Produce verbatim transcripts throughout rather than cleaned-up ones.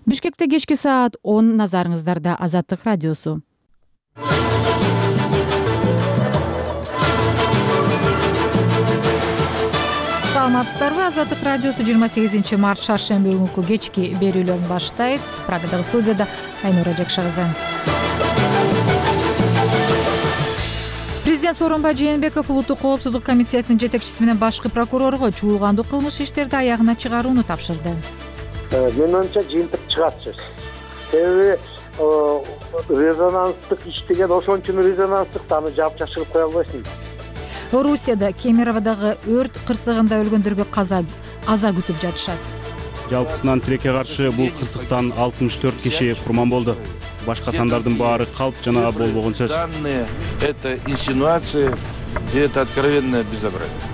Бишкекте кечки саат он, назарыңыздарда Азаттык радиосу. Саламатсыздарбы? Азаттык радиосу жыйырма сегизинчи март шаршемби күнкү кечки берүүлөрүн баштайт. Программадагы студияда Айнура Жакшагызы. Президент Сооронбай Жээнбеков Улуттук коопсуздук комитетинин жетекчиси менен башкы прокурорго чуулгандуу кылмыш иштерди аягына чыгарууну тапшырды. Менин оюмча жыйынтык чыгат сөз. Себеби резонанстык иш деген ошончун резонанстык да аны жаап жашырып кое албайсың. Орусияда Кемероводагы өрт кырсыгында өлгөндөргө каза аза күтүп жатышат. Жалпысынан тилекке каршы бул кырсыктан алтымыш төрт киши курман болду. Башка сандардын баары калп жана болбогон сөз. Данные это инсинуации, и это откровенное безобразие.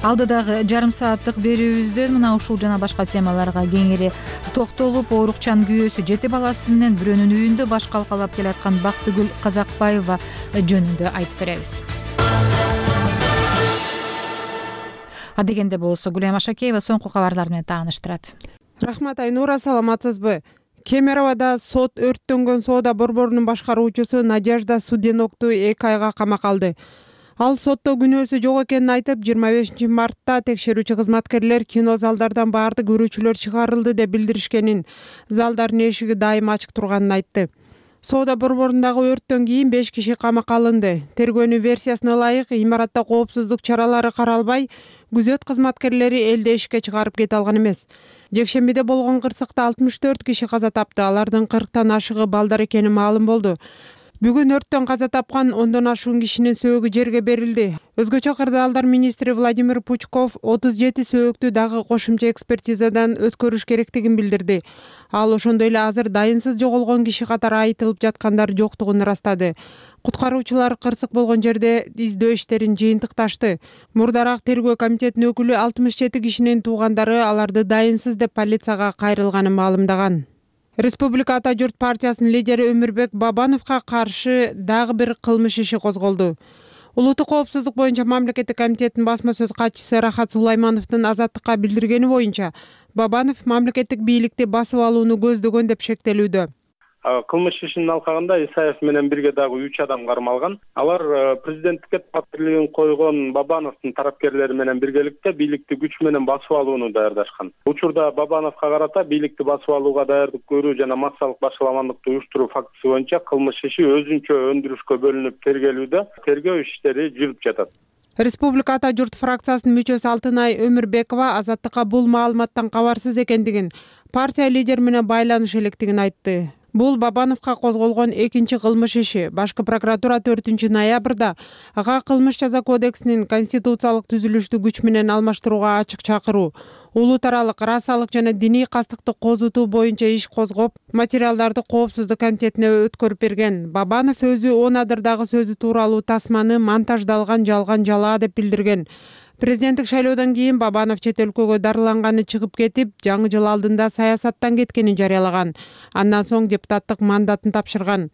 Алдыдагы жарым сааттык берүүбүздөн мына ушул жана башка темаларга кеңири токтолуп, оорукчан күйөөсү жети баласы менен бирөөнүн үйүндө баш калкалап келаткан Бактыгүл Казакбаева жөнүндө айтып беребиз. Адегенде болсо Гүлайым Ашакеева соңку кабарлар менен тааныштырат. Рахмат Айнура, саламатсызбы? Кемероводо сот өрттөнгөн соода борборунун башкаруучусу Надежда Суденокту эки айга камакка алды. Ал сотто күнөөсү жок экенин айтып, жыйырма бешинчи мартта текшерүүчү кызматкерлер кино залдардан баардык көрүүчүлөр чыгарылды деп билдиришкенин, залдардын эшиги дайыма ачык турганын айтты. Соода борборундагы өрттөн кийин беш киши камакка алынды. Тергөөнүн версиясына ылайык, имаратта коопсуздук чаралары каралбай, күзөт кызматкерлери элди эшикке чыгарып кете алган эмес. Жекшембиде болгон кырсыкта алтымыш төрт киши каза тапты. Алардын кырктан ашыгы балдар экени маалым болду. Бүгүн өрттөн каза тапкан ондон ашуун кишинин сөөгү жерге берилди. Өзгөчө кырдаалдар министри Владимир Пучков отуз жети сөөктү дагы кошумча экспертизадан өткөрүш керектигин билдирди. Ал ошондой эле азыр дайынсыз жоголгон киши катары айтылып жаткандар жоктугун ырастады. Куткаруучулар кырсык болгон жерде издөө иштерин жыйынтыкташты. Мурдараак тергөө комитетинин өкүлү алтымыш жети кишинин туугандары аларды дайынсыз деп полицияга кайрылганын маалымдаган. Республика Ата журт партиясынын лидери Өмүрбек Бабановго каршы дагы бир кылмыш иши козголду. Улуттук коопсуздук боюнча мамлекеттик комитеттин басма сөз катчысы Рахат Сулаймановдун Азаттыкка билдиргени боюнча, Бабанов мамлекеттик бийликти басып алууну көздөгөн деп шектелүүдө. Кылмыш ишинин алкагында Исаев менен бирге дагы үч адам кармалган. Алар президенттикке талаптуулугун койгон Бабановдун тарапкерлери менен биргеликте бийликти күч менен басып алууну даярдашкан. Учурда Бабановго карата бийликти басып алууга даярдык көрүү жана массалык башаламандыкты уюштуруу фактысы боюнча кылмыш иши өзүнчө өндүрүшкө бөлүнүп тергелүүдө. Тергөө иштери жүрүп жатат. Республика Ата журт фракциясынын мүчөсү Алтынай Өмүрбекова Азаттыкка бул маалыматтан кабарсыз экендигин, партия лидери менен байланыш электигин айтты. Бул Бабановго козголгон экинчи кылмыш иши. Башкы прокуратура төртүнчү ноябрда ага кылмыш жаза кодексинин конституциялык түзүлүштү күч менен алмаштырууга ачык чакыруу, улут аралык расалык жана диний кастыкты козутуу боюнча иш козгоп, материалдарды коопсуздук комитетине өткөрүп берген. Бабанов өзү он адырдагы сөзү тууралуу тасманы монтаждалган жалган жалаа деп билдирген. Президенттик шайлоодон кийин Бабанов чет өлкөгө дарыланганы чыгып кетип, жаңы жыл алдында саясаттан кеткенин жарыялаган. Андан соң депутаттык мандатын тапшырган.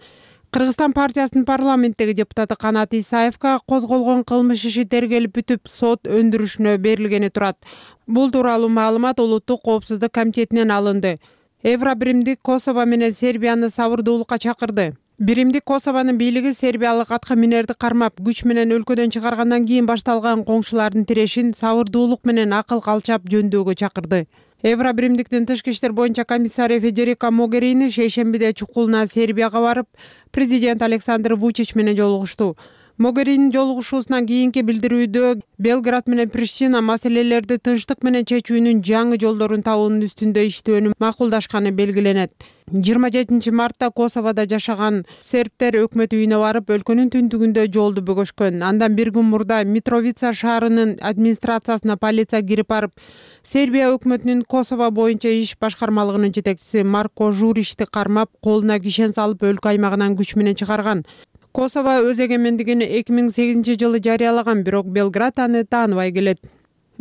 Кыргызстан партиясынын парламенттеги депутаты Канат Исаевга козголгон кылмыш иши тергелип бүтүп, сот өндүрүшүнө берилгени турат. Бул тууралуу маалымат Улуттук коопсуздук комитетинен алынды. Евробиримдик Косово менен Сербияны сабырдуулукка чакырды. Биримдик Косованын бийлиги сербиялык атка минерди кармап, күч менен өлкөдөн чыгаргандан кийин башталган коңшулардын тирешин сабырдуулук менен акыл калчап жөндөөгө чакырды. Евробиримдиктин тышкы иштер боюнча комиссары Федерика Могерини шейшембиде чукулуна Сербияга барып, президент Александр Вучич менен жолугушту. Могеринин жолугушуусунан кийинки билдирүүдө Белград менен Приштина маселелерди тынчтык менен чечүүнүн жаңы жолдорун табуунун үстүндө иштөөнү макулдашканы белгиленет. жыйырма жетинчи мартта Косоводо жашаган сербтер өкмөт үйүнө барып, өлкөнүн түндүгүндө жолду бөгөшкөн. Андан бир күн мурда Митровица шаарынын администрациясына полиция кирип барып, Сербия өкмөтүнүн Косово боюнча иш башкармалыгынын жетекчиси Марко Журичти кармап, колуна кишен салып, өлкө аймагынан күч менен чыгарган. Косово өз эгемендигин эки миң сегизинчи жылы жарыялаган, бирок Белград аны тааныбай келет.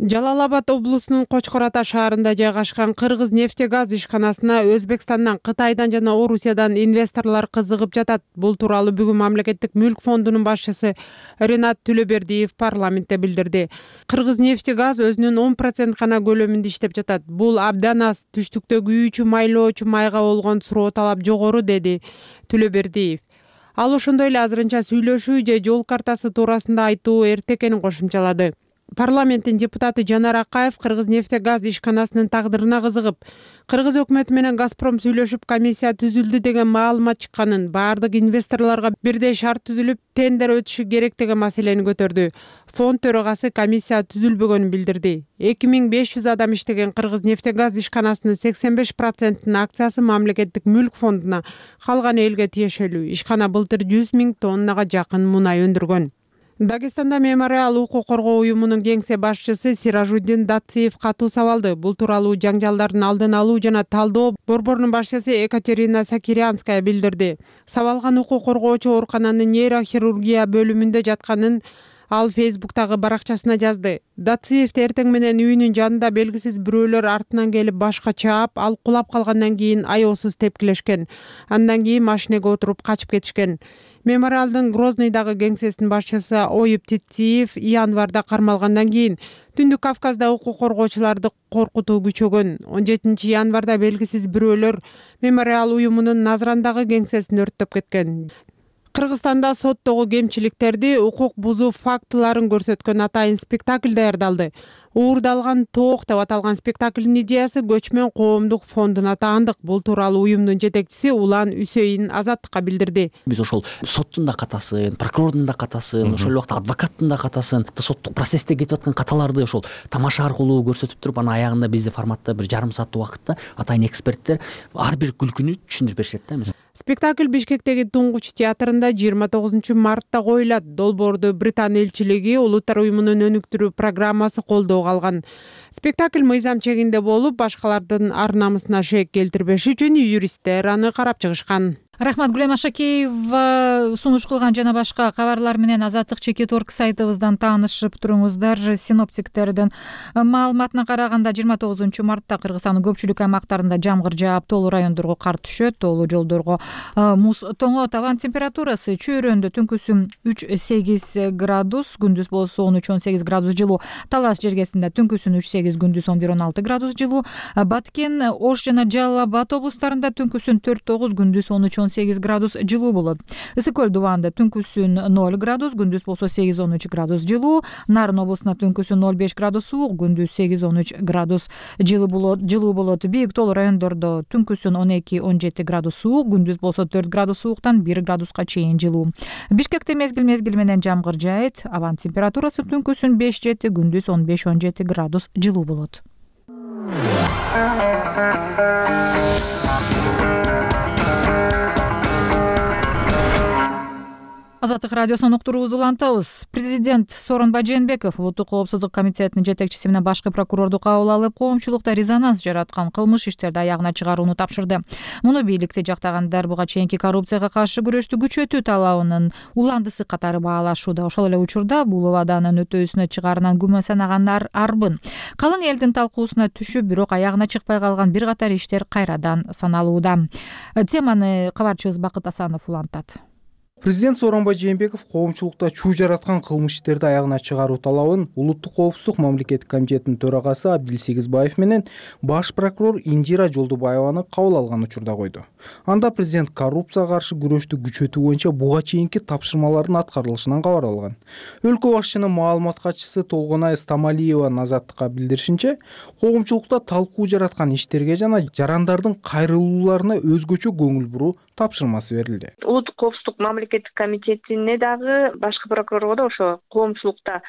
Жалал Абад облусунун Кочкор Ата шаарында жайгашкан Кыргыз нефтегаз ишканасына Өзбекстандан, Кытайдан жана Орусиядан инвесторлор кызыгып жатат. Бул тууралуу бүгүн Мамлекеттик мүлк фондунун башчысы Ренат Түлөбердиев парламентте билдирди. Кыргыз нефтегаз өзүнүн он процент гана көлөмүндө иштеп жатат. Бул абдан аз, түштүктө күйүүчү майлоочу майга болгон суроо талап жогору, деди Түлөбердиев. Ал ошондой эле азырынча сүйлөшүү же жол картасы туурасында айтуу эрте экенин кошумчалады. Парламенттин депутаты Жанар Акаев Кыргыз нефтегаз ишканасынын тагдырына кызыгып, Кыргыз өкмөтү менен Газпром сүйлөшүп комиссия түзүлдү деген маалымат чыкканын, баардык инвесторлорго бирдей шарт түзүлүп, тендер өтүшү керек деген маселени көтөрдү. Фонд төрагасы комиссия түзүлбөгөнүн билдирди. эки миң беш жүз адам иштеген Кыргыз нефтегаз ишканасынын сексен беш процентинин акциясы Мамлекеттик мүлк фондуна, калганы элге тиешелүү. Ишкана былтыр жүз миң тоннага жакын мунай өндүргөн. Дагестанда Мемориал укук коргоо уюмунун кеңсе башчысы Сиражуддин Датсиев катуу сабалды. Бул тууралуу жаңжалдардын алдын алуу жана талдоо борборунун башчысы Екатерина Сакирянская билдирди. Сабалган укук коргоочу оорукананын нейрохирургия бөлүмүндө жатканын ал Фейсбуктагы баракчасына жазды. Датсиев эртең менен үйүнүн жанында белгисиз бирөөлөр артынан келип башка чаап, ал кулап калгандан кийин аеосуз тепкилешкен. Андан кийин машинеге отуруп качып кетишкен. Мемориалдын Грозныйдагы кеңсесинин башчысы Оюп Титиев январда кармалгандан кийин Түндүк Кавказда укук коргоочуларды коркутуу күчөгөн. он жетинчи январда белгисиз бирөөлөр Мемориал уюмунун Назрандагы кеңсесин өрттөп кеткен. Кыргызстанда соттогу кемчиликтерди, укук бузуу фактыларын көрсөткөн атайын спектакль даярдалды. Уурдалган тоок деп аталган спектаклдин идеясы Көчмөн коомдук фондуна таандык. Бул тууралуу уюмдун жетекчиси Улан Үсейин Азаттыкка билдирди. Биз ошол соттун да катасын, прокурордун да катасын, ошол убакта адвокаттын да катасын, соттук процессте кетип аткан каталарды ошол тамаша аркылуу көрсөтүп туруп, анан аягында бизди форматта бир жарым сааттык убакытта атайын эксперттер ар бир күлкүнү түшүндүрүп беришет да. Спектакль Бишкектеги Туңгуч театрында жыйырма тогузунчу мартта коюлат. Долбоорду Британ элчилиги Улуттар уюмунун өнүктүрүү программасы колдоого алган. Спектакль мыйзам чегинде болуп, башкалардын ар намысына шек келтирбеш үчүн юристтер аны карап чыгышкан. Рахмат. Гүлем Ашакеева сунуш кылган жана башка кабарлар менен Азаттык чекит орг сайтыбыздан таанышып туруңуздар. Синоптиктердин маалыматына караганда жыйырма тогузунчу мартта Кыргызстандын көпчүлүк аймактарында жамгыр жаап, тоолуу райондорго кар түшөт, тоолуу жолдорго муз тоңот. Абан температурасы чөйрөндө түнкүсүн үч сегиз градус, күндүз болсо он үч он сегиз градус жылуу. Талас жергесинде түнкүсүн үч сегиз, күндүз он бир он алты градус жылуу. Баткен, Ош жана Жалал Абад облустарында түнкүсүн төрт тогуз, күндүз он үч он сегиз градус жылуу болот. Ысык көл дубанда түнкүсүн ноль градус, күндүз болсо сегиз он үч градус жылуу. Нарын облусунда түнкүсүн ноль беш градус суук, күндүз сегиз он үч градус жылуу болот. Жылуу болот. Бийик тоолуу райондордо түнкүсүн он эки он жети градус суук, күндүз болсо төрт градус сууктан бир градуска чейин жылуу. Бишкекте мезгил мезгил менен жамгыр жаайт. Абан температурасы түнкүсүн беш жети, күндүз он беш он жети градус жылуу болот. Азаттык радиосунун уктуруубузду улантабыз. Президент Сооронбай Жээнбеков Улуттук коопсуздук комитетинин жетекчиси менен башкы прокурорду кабыл алып, коомчулукта резонанс жараткан кылмыш иштерди аягына чыгарууну тапшырды. Муну бийликти жактагандар буга чейинки коррупцияга каршы күрөштү күчөтүү талабынын уландысы катары баалашууда. Ошол эле учурда бул убаданын өтөөсүнө чыгаарынан күмөн санагандар арбын. Калың элдин талкуусуна түшүп, бирок аягына чыкпай калган бир катар иштер кайрадан саналууда. Теманы кабарчыбыз Бакыт Асанов улантат. Президент Сооронбай Жээнбеков коомчулукта чуу жараткан кылмыш иштерди аягына чыгаруу талабын Улуттук коопсуздук мамлекеттик комитетинин төрагасы Абдил Сегизбаев менен баш прокурор Индира Жолдубаеваны кабыл алган учурда койду. Анда президент коррупцияга каршы күрөштү күчөтүү боюнча буга чейинки тапшырмалардын аткарылышынан кабар алган. Өлкө башчынын маалымат катчысы Толгонай Стамалиеванын Азаттыкка билдиришинче, коомчулукта талкуу жараткан иштерге жана жарандардын кайрылууларына өзгөчө көңүл буруу тапшырмасы берилди. Улуттук коопсуздук мамлекеттик комитетине дагы башкы прокурорго да ошо коомчулукта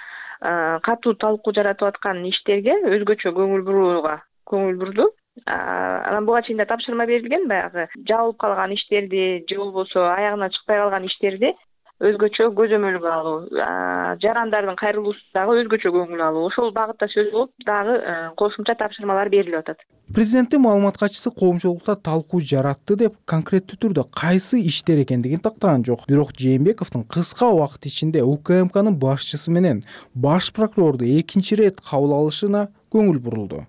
катуу талкуу жаратып аткан иштерге өзгөчө көңүл бурууга көңүл бурду. Анан буга чейин да тапшырма берилген, баягы жабылып калган иштерди же болбосо аягына чыкпай калган иштерди өзгөчө көзөмөлгө алуу, жарандардын кайрылуусуна дагы өзгөчө көңүл алуу, ошол багытта сөз болуп дагы кошумча тапшырмалар берилип атат. Президенттин маалымат катчысы коомчулукта талкуу жаратты деп конкреттүү түрдө кайсы иштер экендигин тактаган жок. Бирок Жээнбековдун кыска убакыт ичинде УКМКнын башчысы менен баш прокурорду экинчи ирет кабыл алышына көңүл бурулду.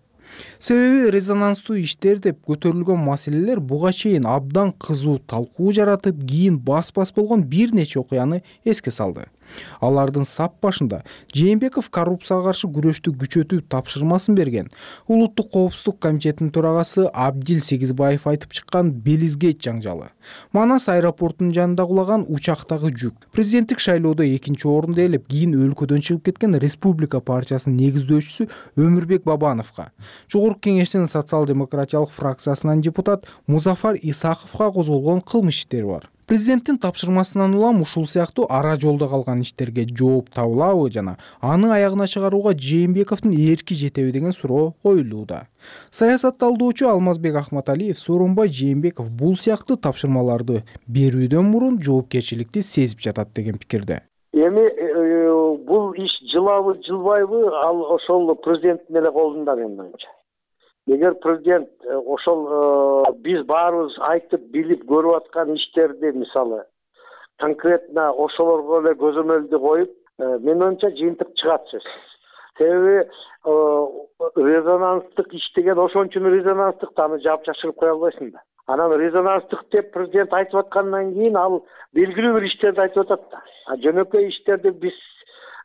Себеби резонанстуу иштер деп көтөрүлгөн маселелер буга чейин абдан кызуу талкуу жаратып, кийин бас-бас болгон бир нече окуяны эске салды. Алардын сап башында Жээнбеков коррупцияга каршы күрөштү күчөтүү тапшырмасын берген. Улуттук коопсуздук комитетинин төрагасы Абдил Сегизбаев айтып чыккан Белизгейт жаңжалы, Манас аэропортунун жанында кулаган учактагы жүк, президенттик шайлоодо экинчи орунду ээлеп, кийин өлкөдөн чыгып кеткен Республика партиясынын негиздөөчүсү Өмүрбек Бабановго, Жогорку Кеңештин социал-демократиялык фракциясынан депутат Музафар Исаховго козголгон кылмыш иштери бар. Президенттин тапшырмасынан улам ушул сыяктуу ара жолдо калган иштерге жооп табылабы жана аны аягына чыгарууга Жээнбековдун эрки жетеби деген суроо коюлууда. Саясатталдоочу Алмазбек Ахматалиев Сооронбай Жээнбеков бул сыяктуу тапшырмаларды берүүдөн мурун жоопкерчиликти сезип жатат деген пикирде. Эми бул иш жылабы, жылбайбы, ал ошол президенттин эле колунда менин оюмча. Эгер президент ошол биз баарыбыз айтып билип көрүп аткан иштерди, мисалы конкретно ошолорго эле көзөмөлдү коюп, менин оюмча жыйынтык чыгат сөзсүз. Себеби резонанстык иш деген ошончун резонанстык да, аны жаап жашырып кое албайсың да. Анан резонанстык деп президент айтып аткандан кийин ал белгилүү бир иштерди айтып атат да. А жөнөкөй иштерди биз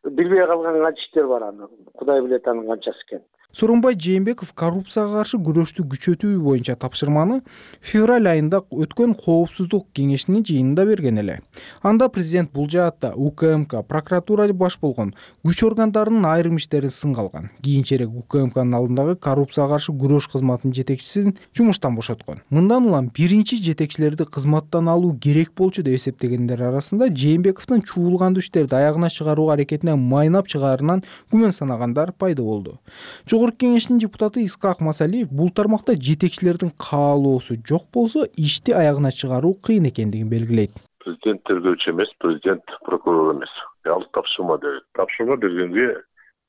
билбей калган канча иштер бар, аны Кудай билет анын канчасы экенин. Сооронбай Жээнбеков коррупцияга каршы күрөштү күчөтүү боюнча тапшырманы февраль айында өткөн коопсуздук кеңешинин жыйынында берген эле. Анда президент бул жаатта УКМК, прокуратура баш болгон күч органдарынын айрым иштерин сынга алган. Кийинчерээк УКМКнын алдындагы коррупцияга каршы күрөш кызматынын жетекчисин жумуштан бошоткон. Мындан улам биринчи жетекчилерди кызматтан алуу керек болчу деп эсептегендер арасында Жээнбековдун чуулгандуу иштерди аягына чыгаруу аракетине майнап чыгаарынан күмөн санагандар пайда болду. Жогорку Кеңештин депутаты Исхак Масалиев бул тармакта жетекчилердин каалоосу жок болсо, ишти аягына чыгаруу кыйын экендигин белгилейт. Президент тергөөчү эмес, президент прокурор эмес. Ал тапшырма берет. Тапшырма бергенге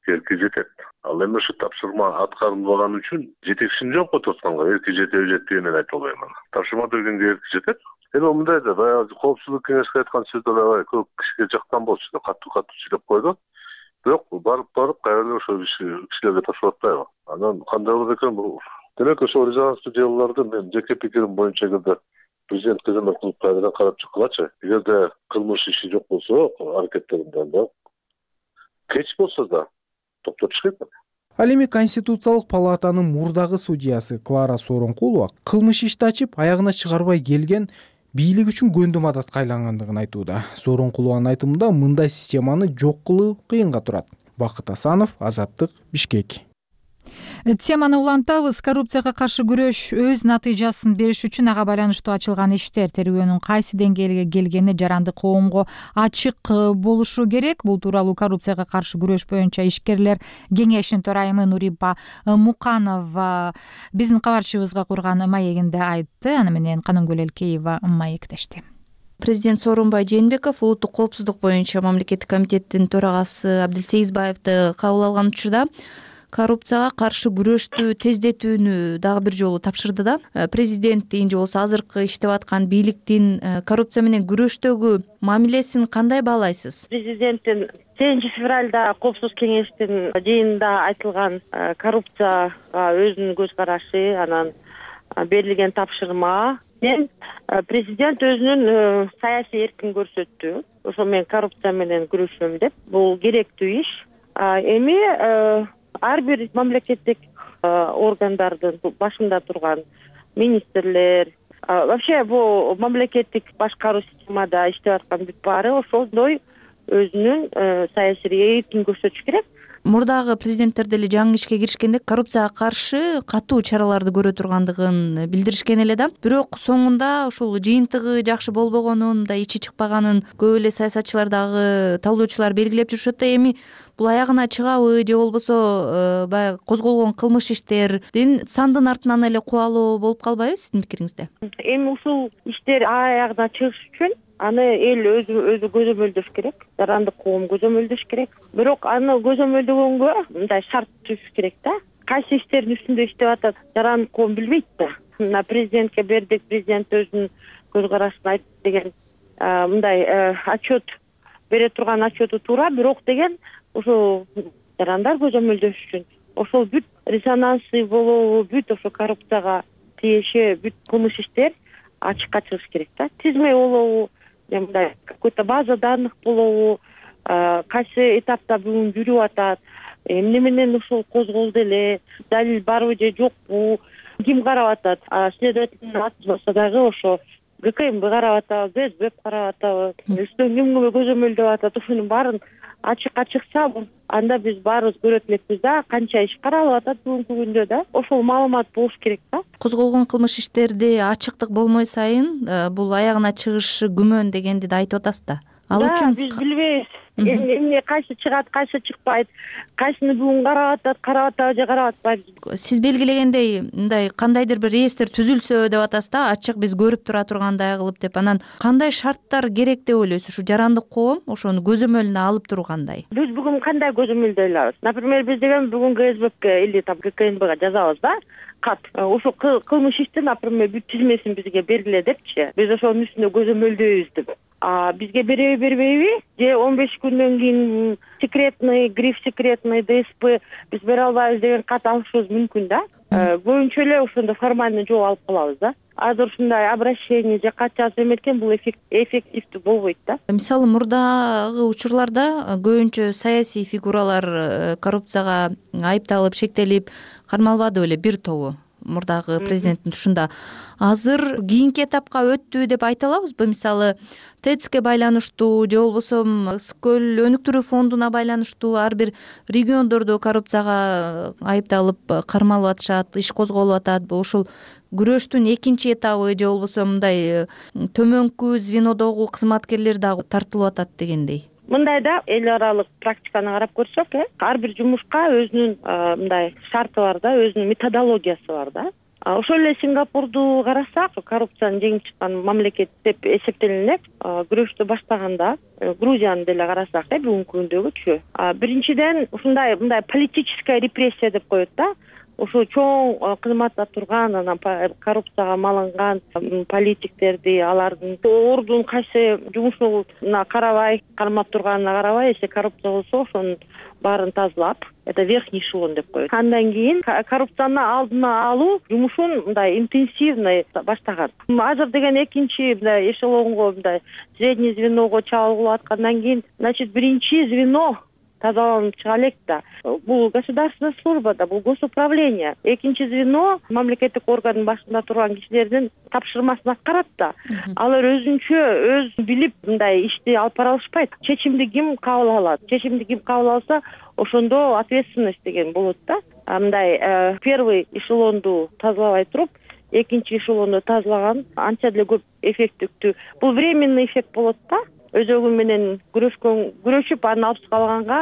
эрки жетет. Ал эми ушу тапшырма аткарылбаган үчүн жетекчисин жооп атканга эрки жетеби жетпегенин айтып албайм. Тапшырма бергенге эрки жетет. Эми мындай да баягы коопсуздук кеңешине айткан сөздөр көп кишиге жаккан болчу, катуу-катуу сүйлөп койду. Бирок барып барып кайра ошол кишилерге тапшырып атпайбы? Анан кандай болот экен бул? Демек ошол резонанстуу делолорду мен жеке пикирим боюнча эгерде президент көзөмөл кылып кайрадан карап чыккылачы. Эгерде кылмыш иши жок болсо, аракеттеринде кеч болсо да токтотуш керек. Ал эми Конституциялык палатанын мурдагы судьясы Клара Сооронкулова кылмыш ишти ачып аягына чыгарбай келген бийлик үчүн көндүм адатка айлангандыгын айтууда. Сооронкулованын айтымында мындай системаны жок кылуу кыйынга турат. Бакыт Асанов, Азаттык, Бишкек. Теманы улантабыз. Коррупцияга каршы күрөш өз натыйжасын бериш үчүн ага байланыштуу ачылган иштер терүүнүн кайсы деңгээлге келгени жаранды коомго ачык болушу керек. Бул тууралуу коррупцияга каршы күрөш боюнча ишкерлер кеңешинин төрайымы Нурипа Муканова биздин кабарчыбызга курган маегинде айтты. Аны менен Канымгүл Элкеева маектешти. Президент Сооронбай Жээнбеков улуттук коопсуздук боюнча мамлекеттик комитеттин төрагасы Абдил Сегизбаевди кабыл алган учурда коррупцияга каршы күрөштү тездетүүнү дагы бир жолу тапшырды да. Президенттин же болбосо азыркы иштеп аткан бийликтин коррупция менен күрөштөгү мамилесин кандай баалайсыз? Президенттин сегизинчи февралда коопсуздук кеңештин жыйынында айтылган коррупцияга өзүнүн көз карашы, анан берилген тапшырма мен президент өзүнүн саясий эркин көрсөттү. Ошо мен коррупция менен күрөшөм деп. Бул керектүү иш. Эми ар бир мамлекеттик органдардын башында турган министрлер, вообще бул мамлекеттик башкаруу системада иштеп аткан бүт баары ошондой өзүнүн саясий эркин көрсөтүш керек. Мурдагы президенттер деле жаңы ишке киришкенде коррупцияга каршы катуу чараларды көрө тургандыгын билдиришкен эле да. Бирок соңунда ошол жыйынтыгы жакшы болбогонун, да ичи чыкпаганын көп эле саясатчылар дагы талдоочулар белгилеп жүрүшөт да. Эми бул аягына чыгабы же болбосо баягы козголгон кылмыш иштердин сандын артынан эле кубалоо болуп калбайбы сиздин пикириңизде? Эми ушул иштер аягына чыгыш үчүн аны эл өзү өзү көзөмөлдөш керек, жарандык коом көзөмөлдөш керек. Бирок аны көзөмөлдөгөнгө мындай шарт түзүш керек да. Кайсы иштердин үстүндө иштеп атат, жарандык коом билбейт да. Мына президентке бердик, президент өзүнүн көз карашын айтты деген мындай отчет бере турган отчету туура, бирок деген ошо жарандар көзөмөлдөш үчүн ошол бүт резонансы болобу, бүт ошо коррупцияга тиеши бүт кылмыш иштер ачыкка чыгыш керек да. Тизме болобу, мындай какой-то база данных болобу, кайсы этапта бүгүн жүрүп атат, эмне менен ушул козголду эле, далил барбы же жокпу, ким карап атат, следовательный аты болсо дагы ошо ГКМБ карап атабы, СБ карап атабы, үстөн ким көзөмөлдөп атат, ушунун баарын ачыкка чыкса, анда биз баарыбыз көрөт элекпиз да, канча иш каралып атат бүгүнкү күндө да. Ошол маалымат болуш керек да. Козголгон кылмыш иштерди ачыктык болмой сайын бул аягына чыгышы күмөн дегенди да айтып атасыз да. Ал үчүн биз билбейбиз. Эмне кайсы чыгат, кайсы чыкпайт, кайсыны бүгүн карап атат, карап атабы же карап атпайбы. Сиз белгилегендей мындай кандайдыр бир реестр түзүлсө деп атасыз да, ачык биз көрүп тура тургандай кылып деп. Анан кандай шарттар керек деп ойлойсуз? Ушу жарандык коом ошону көзөмөлүнө алып тургандай. Биз бүгүн кандай көзөмөлдөй алабыз? Например, биз деген бүгүн КСБК или там ГКМБга жазабыз да, кат. Ошо кылмыш ишти, например, бүт тизмесин бизге бергиле депчи. Биз ошонун үстүндө көзөмөлдөйбүз деп. А бизге береби бербейби? Же он беш күндөн кийин секретный, гриф секретный, ДСП биз бере албайбыз деген кат алышыбыз мүмкүн да. Көбүнчө эле ошондо формальный жол алып калабыз да. Азыр ушундай обращение же кат жазып эметкен бул эффективдүү болбойт да. Мисалы, мурдагы учурларда көбүнчө саясий фигуралар коррупцияга айыпталып, шектелип кармалбады беле бир тобу мурдагы президенттин тушунда. Азыр кийинки этапка өттү деп айта алабызбы? Мисалы, ТЭЦке байланыштуу же болбосо Ысык-Көл өнүктүрүү фондуна байланыштуу ар бир региондордо коррупцияга айыпталып кармалып атышат, иш козголуп атат. Бул ушул күрөштүн экинчи этабы же болбосо мындай төмөнкү звенодогу кызматкерлер дагы тартылып атат дегендей. Мындай да, эл аралык практиканы карап көрсөк, э, ар бир жумушка өзүнүн мындай шарты бар да, өзүнүн методологиясы бар да. Ошол эле Сингапурду карасак, коррупцияны жеңип чыккан мамлекет деп эсептелинет. Күрөштү баштаганда Грузияны деле карасак, э, бүгүнкү күндөгүчү. Биринчиден ушундай мындай политическая репрессия деп коет да. Ошо чоң кызматта турган, анан коррупцияга малынган политиктерди, алардын ордун кайсы жумушуна карабай, кармап турганына карабай, эсе коррупция болсо ошонун баарын тазалап, это верхний эшелон деп коет. Андан кийин коррупцияны алдына алуу жумушун мындай интенсивный баштаган. Азыр деген экинчи мындай эшелонго, мындай средний звеного чабылып аткандан кийин, значит, биринчи звено тазаланып чыга элек да. Бул государственная служба да, бул госуправление. Экинчи звено мамлекеттик органдын башында турган кишилердин тапшырмасын аткарат да. Алар өзүнчө өз билип мындай ишти алып бара алышпайт. Чечимди ким кабыл алат? Чечимди ким кабыл алса, ошондо ответственность деген болот да. Мындай первый эшелонду тазалабай туруп, экинчи эшелонду тазалаган анча деле көп эффектиктүү. Бул временный эффект болот да. Өзөгү менен күрөшкөн, күрөшүп аны алып чыгалганга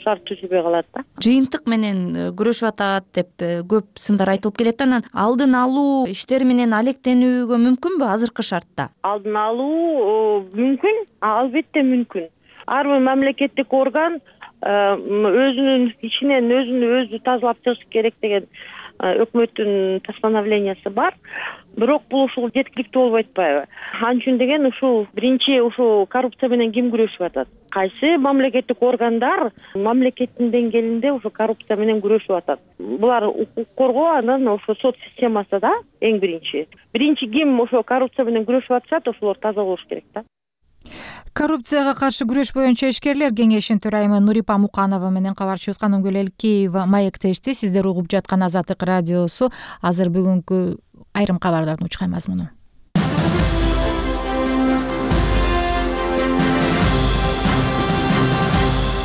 шарт түзүлбөй калат да. Жыйынтык менен күрөшүп атат деп көп сындар айтылып келет. Анан алдын алуу иштери менен алектенүүгө мүмкүнбү азыркы шартта? Алдын алуу мүмкүн, албетте мүмкүн. Ар бир мамлекеттик орган өзүнүн ичинен өзүнү өзү тазалап чыгыш керек деген өкмөттүн постановлениясы бар. Бирок бул ушул жеткиликтүү болбой атпайбы? Ал үчүн деген ушул биринчи ушул коррупция менен ким күрөшүп атат? Кайсы мамлекеттик органдар мамлекеттин деңгээлинде ушул коррупция менен күрөшүп атат? Булар укук коргоо, анан ошо сот системасы да эң биринчи. Биринчи ким ошо коррупция менен күрөшүп атышат, ошолор таза болуш керек да. Коррупцияга каршы күрөш боюнча ишкерлер кеңешинин төрайымы Нурипа Муканова менен кабарчыбыз Канымгүл Элкеева маектешти. Сиздер угуп жаткан Азаттык радиосу. Азыр бүгүнкү айрым кабарлардын учкай мазмуну.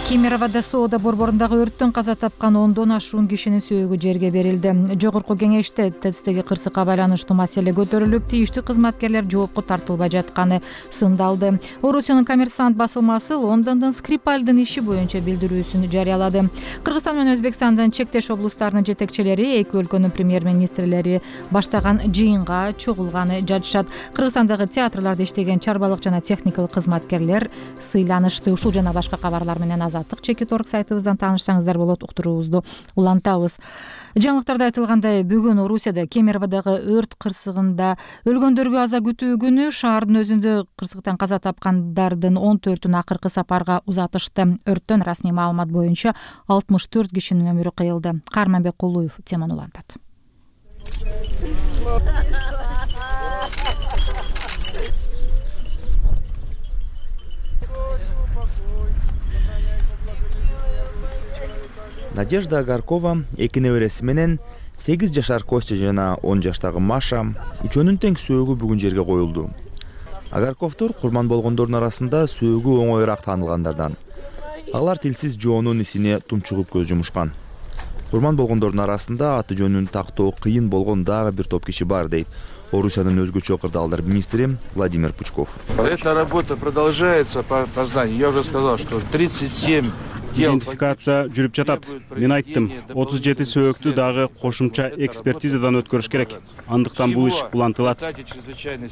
Кемероводо соода борборундагы өрттөн каза тапкан ондон ашуун кишинин сөөгү жерге берилди. Жогорку кеңеште ТЭЦтеги кырсыкка байланыштуу маселе көтөрүлүп, тийиштүү кызматкерлер жоопко тартылбай жатканы сындалды. Орусиянын Коммерсант басылмасы Лондондон Скрипальдын иши боюнча билдирүүсүн жарыялады. Кыргызстан менен Өзбекстандын чектеш облустарынын жетекчилери, эки өлкөнүн премьер-министрлери баштаган жыйынга чогулганы жатышат. Кыргызстандагы театрларда иштеген чарбалык жана техникалык кызматкерлер сыйланышты. Ушул жана башка кабарлар менен Азаттык чекит орг сайтыбыздан таанышсаңыздар болот. Уктуруубузду улантабыз. Жаңылыктарда айтылгандай, бүгүн Орусияда Кемероводогу өрт кырсыгында өлгөндөргө аза күтүү күнү шаардын өзүндө кырсыктан каза тапкандардын он төртүн акыркы сапарга узатышты. Өрттөн расмий маалымат боюнча алтымыш төрт кишинин өмүрү кыйылды. Карманбек Кулуев теманы улантат. Надежда Агаркова эки небереси менен сегиз жашар Костя жана он жаштагы Маша үчөөнүн тең сөөгү бүгүн жерге коюлду. Агарковдор курман болгондордун арасында сөөгү оңоюраак таанылгандардан. Алар тилсиз жоонун исине тумчугуп көз жумушкан. Курман болгондордун арасында аты жөнүн тактоо кыйын болгон дагы бир топ киши бар, дейт Орусиянын өзгөчө кырдаалдар министри Владимир Пучков. Эта работа продолжается по опознанию. Я уже сказал, что тридцать семь идентификация жүрүп жатат. Мен айттым, отуз жети сөөгүктү дагы кошумча экспертизадан өткөрүш керек. Андыктан бул иш улантылат.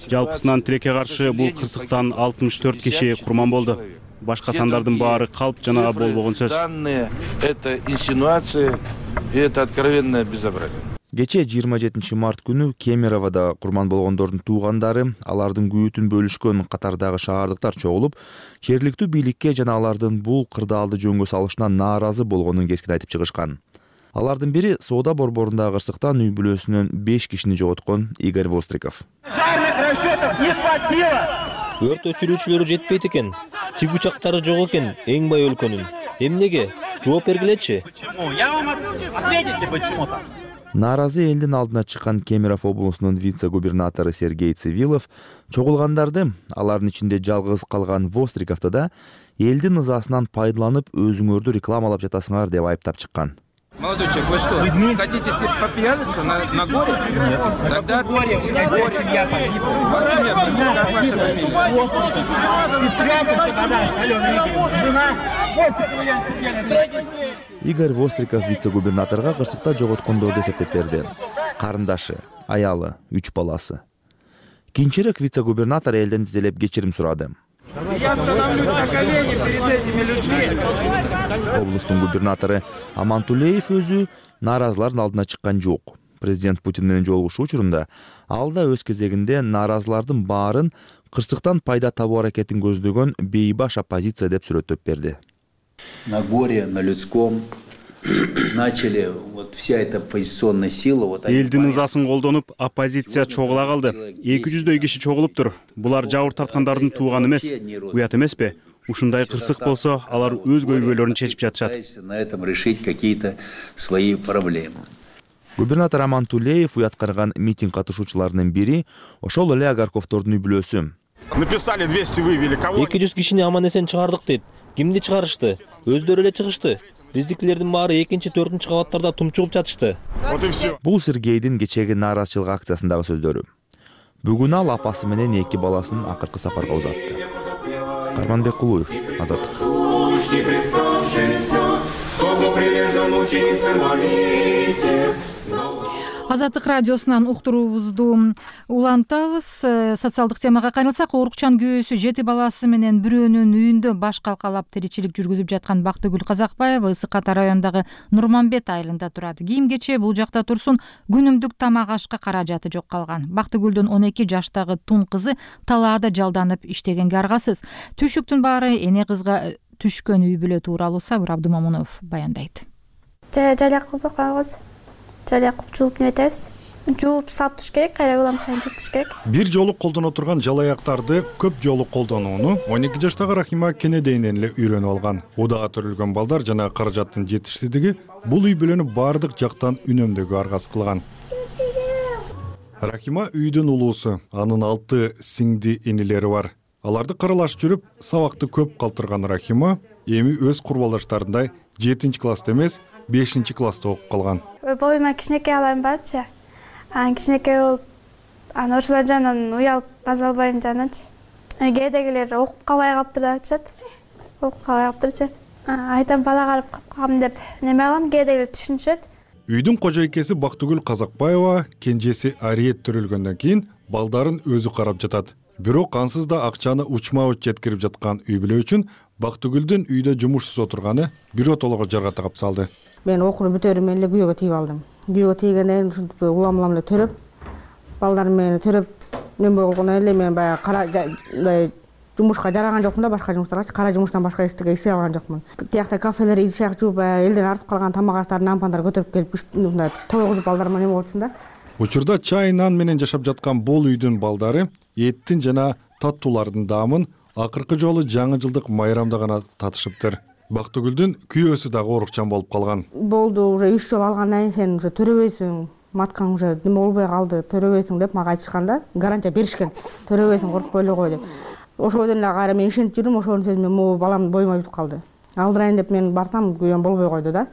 Жалпысынан тилекке каршы бул кырсыктан алтымыш төрт киши курман болду. Башка сандардын баары калп жана болбогон сөз. Данные — это инсинуации, и это откровенное безобразие. Кечээ жыйырма жетинчи март күнү Кемероводо курман болгондордун туугандары, алардын күйүтүн бөлүшкөн катардагы шаардыктар чогулуп, жергиликтүү бийликке жана алардын бул кырдаалды жөнгө салышына нааразы болгонун кескин айтып чыгышкан. Алардын бири соода борборундагы кырсыктан үй бүлөсүнөн беш кишини жоготкон Игорь Востриков. Өрт өчүрүүчүлөрү жетпейт экен, тигучактары жок экен эң бай өлкөнүн. Эмнеге? Жооп бергилечи. Нааразы элдин алдына чыккан Кемерово облусунун вице-губернатору Сергей Цивилов чогулгандарды, алардын ичинде жалгыз калган Востриковду да элдин ызасынан пайдаланып өзүңөрдү рекламалап жатасыңар деп айыптап чыккан. Молодой человек, вы что, хотите попьяниться на, на горе? Нет. Тогда горе, горе. Семья погибла. Ваша семья погибла, как ваша фамилия? Игорь Востриков вице-губернаторго кырсыкта жоготкондорду эсептеп берди. Карындашы, аялы, үч баласы. Кийинчерээк вице-губернатор элден тизелеп кечирим сурады. Я становлюсь на колени перед этими людьми. Облустун губернатору Амантулеев өзү нааразылардын алдына чыккан жок. Президент Путин менен жолугушуу учурунда ал да өз кезегинде нааразылардын баарын кырсыктан пайда табуу аракетин көздөгөн бейбаш оппозиция деп сүрөттөп берди. На горе, на людском начали вот вся эта оппозиционная сила. Элдин ызасын колдонуп, оппозиция чогула калды. эки жүздөй киши чогулуптур. Булар жабыр тарткандардын тууганы эмес. Уят эмеспи? Ушундай кырсык болсо, алар өз көйгөйлөрүн чечип жатышат. На этом решить какие-то свои проблемы. Губернатор Амантулеев уяткарган митинг катышуучуларынын бири ошол эле Агарковдордун үй бүлөсү. Написали двести, вывели кого? эки жүз кишини аман-эсен чыгардык дейт. Кимди чыгарышты? Өздөрү эле чыгышты. Биздикилердин баары экинчи, төртүнчү кабаттарда тумчугуп жатышты. Вот и все. Бул Сергейдин кечээги нааразычылык акциясындагы сөздөрү. Бүгүн ал апасы менен эки баласын акыркы сапарга узатты. Карманбек Кулуев, Азаттык. Азаттык радиосунан уктуруубузду улантабыз. Социалдык темага кайрылсак, оорукчан күйөөсү жети баласы менен бирөөнүн үйүндө баш калкалап тиричилик жүргүзүп жаткан Бактыгүл Казакбаева Ысык Ата районундагы Нурманбет айылында турат. Кийим кече бул жакта турсун, күнүмдүк тамак ашка каражаты жок калган. Бактыгүлдүн он эки жаштагы тун кызы талаада жалданып иштегенге аргасыз. Түшүктүн баары эне кызга түшкөн үй бүлө тууралуу Сабыр Абдумамунов баяндайт. Жалак кылып калабыз. Жалак кылып жууп небетебиз. Жууп салып туш керек, кайра улам сайын жууп туш керек. Бир жолу колдоно турган жалаяктарды көп жолу колдонууну он эки жаштагы Рахима кенедейинен эле үйрөнүп алган. Удаа төрөлгөн балдар жана каражаттын жетишсиздиги бул үй бүлөнү баардык жактан үнөмдөөгө аргасыз кылган. Рахима үйдүн улуусу, анын алты сиңди инилери бар. Аларды каралаш жүрүп, сабакты көп калтырган Рахима эми өз курбалдаштарындай жетинчи класста эмес бешинчи класста окуп калган. Боюма кичинекей аларым барчы. Анан кичинекей болуп, анан ошолор жанынан уялып база албайм жаначы. Кээдегилер окуп калбай калыптыр деп айтышат. Окуп калбай калыптырчы. Айтам бала карап калам деп неме алам, кээдегилер түшүнүшөт. Үйдүн кожойкеси Бактыгүл Казакбаева кенжеси Ариет төрөлгөндөн кийин балдарын өзү карап жатат. Бирок ансыз да акчаны учма-уч жеткирип жаткан үй бүлө үчүн Бактыгүлдүн үйдө жумушсуз отурганы биротолого жарга тагап салды. Мен окууну бүтөрүм менен эле күйөөгө тийип алдым. Күйөөгө тийгенден кийин ушинтип улам улам эле төрөп, балдарым менен төрөп, неме болгондон эле мен баягы кара жумушка жараган жокмун да, башка жумуштарга, кара жумуштан башка эчтеке иштей алган жокмун. Тиякта кафелер идишак жууп, элден артып калган тамак аштарын ампандар көтөрүп келип, мындай тойгузуп балдарыма неме болчумун да. Учурда чай, нан менен жашап жаткан бул үйдүн балдары эттин жана таттуулардын даамын акыркы жолу жаңы жылдык майрамда гана татышыптыр. Бактыгүлдүн күйөөсү дагы оорукчан болуп калган. Болду, уже үч жыл алгандан кийин сен уже төрөбөйсүң, маткаң уже неме болбой калды, төрөбөйсүң деп мага айтышкан да, гарантия беришкен. Төрөбөйсүң, коркпой эле кой деп. Ошодон эле кайра мен ишенип жүрдүм, ошонун сөзүнө могу балам боюма бүтүп калды. Алдырайын деп мен барсам, күйөөм болбой койду да.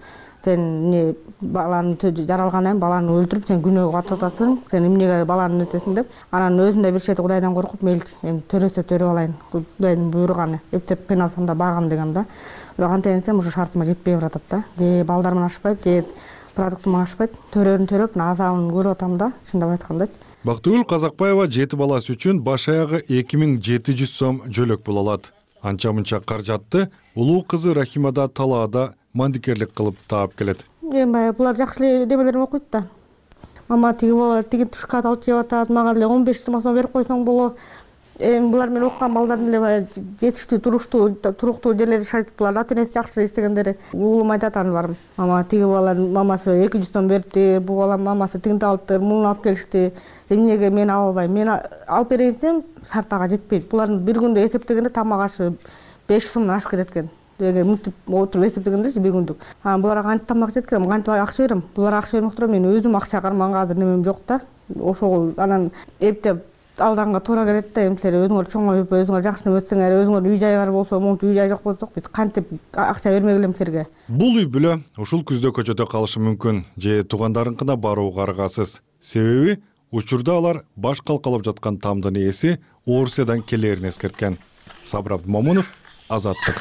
Сен эмне баланы жаралгандан кийин баланы өлтүрүп, сен күнөөгө батып атасың, сен эмнеге баланы өтөсүң деп. Анан өзүм да бир чети Кудайдан коркуп, мейли эми төрөсө төрөп алайын, Кудайдын буйруганы, эптеп кыйналсам да багам дегем да. Бирок антенсем уже шартыма жетпей баратат да. Же балдарым ашпайт, же продуктум ашпайт. Төрөрүн төрөп, азабын көрүп атам да, чындап айтканда. Бактыгүл Казакбаева жети баласы үчүн баш аягы эки миң жети жүз сом жөлөк боло алат. Анча-мынча каржатты улуу кызы Рахима да талаада мандикерлик кылып таап келет. Эми баягы булар жакшы эле немелерин окуйт да. Мама тиги болот, тиги тушкат алып жеп атат, мага деле он беш сом берип койсоң болот. Эми булар менен окуган балдардын эле баягы жетиштүү, туруктуу, туруктуу жерлери шарт, булар ата-энеси жакшы иштегендери. Уулум айтат аны барым. Мама тиги баланын мамасы эки жүз сом берипти, бул баланын мамасы тигинти алыптыр, муну алып келишти. Эмнеге мен ала албайм? Мен алып берейин десем, шартага жетпейт. Булардын бир күндө эсептегенде тамак ашы беш сомдон ашып кетет экен. Эгер мынтип отуруп эсептегендечи бир күндүк. А буларга кантип тамак жеткирем, кантип акча берем? Булар акча бермек туруп, мен өзүм акча карманга азыр немем жок да. Ошол анан эптеп алданга туура келет да. Эми силер өзүңөр чоңоюп, өзүңөр жакшы неме өтсөңөр, өзүңөр үй жайлар болсо, монтип үй жай жок болсок, биз кантип акча бермек элем силерге? Бул үй бүлө ушул күздө көчөдө калышы мүмкүн, же туугандарынкына барууга аргасыз. Себеби учурда алар баш калкалап жаткан тамдын ээси Орусиядан келерин эскерткен. Сабыр Абдымомунов, Азаттык.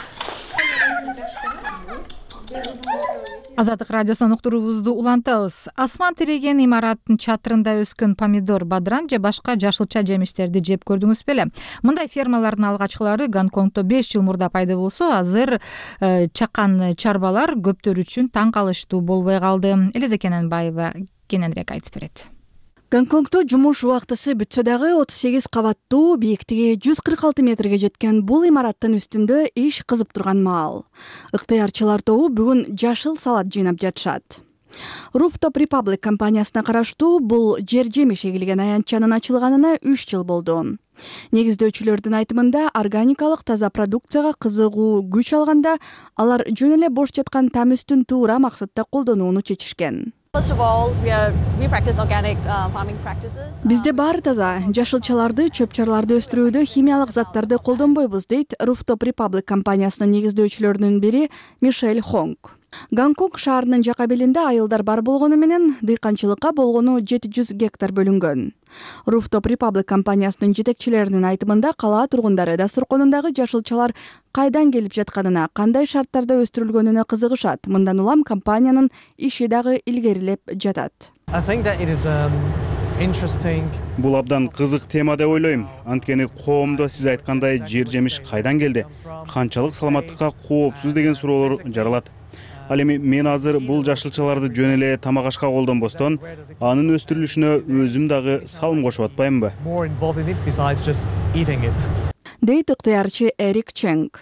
Азаттык радиосунан уктуруубузду улантабыз. Асман тиреген имараттын чатырында өскөн помидор, бадран же башка жашылча жемиштерди жеп көрдүңүз беле? Мындай фермалардын алгачкылары Гонконгдо беш жыл мурда пайда болсо, азыр э, чакан чарбалар көптөр үчүн таң калыштуу болбой калды. Элиза Кененбаева кененирээк айтып берет. Гонконгдо жумуш убактысы бүтсө дагы отуз сегиз кабаттуу, бийликтиги жүз кырк алты метрге жеткен бул имараттын үстүндө иш кызып турган маал. Ыктыярчылар тобу бүгүн жашыл салат жыйнап жатышат. Rooftop Republic компаниясына караштуу бул жер жемиш эгилген аянтчанын ачылганына үч жыл болду. Негиздөөчүлөрдүн айтымында органикалык таза продукцияга кызыгуу күч алганда, алар жөн эле бош жаткан там үстүн туура максатта колдонууну чечишкен. Бизде баары таза, жашылчаларды, чөп-чарларды өстүрүүдө химиялык заттарды колдонбойбуз, дейт Rooftop Republic компаниясынын негиздөөчүлөрүнүн бири Мишель Хонг. Гонконг шаарынын жака белинде айылдар бар болгону менен дыйканчылыкка болгону жети жүз гектар бөлүнгөн. Rooftop Republic компаниясынын жетекчилеринин айтымында кала тургундары дасторконундагы жашылчалар кайдан келип жатканына, кандай шарттарда өстүрүлгөнүнө кызыгышат. Мындан улам компаниянын иши дагы илгерилеп жатат. Бул абдан кызык тема деп ойлойм. Анткени коомдо сиз айткандай жер жемиш кайдан келди, канчалык саламаттыкка коопсуз деген суроолор жаралат. Ал эми мен азыр бул жашылчаларды жөн эле тамак ашка колдонбостон, анын өстүрүлүшүнө өзүм дагы салым кошуп атпаймынбы? Дейт ыктыярчы Эрик Ченг.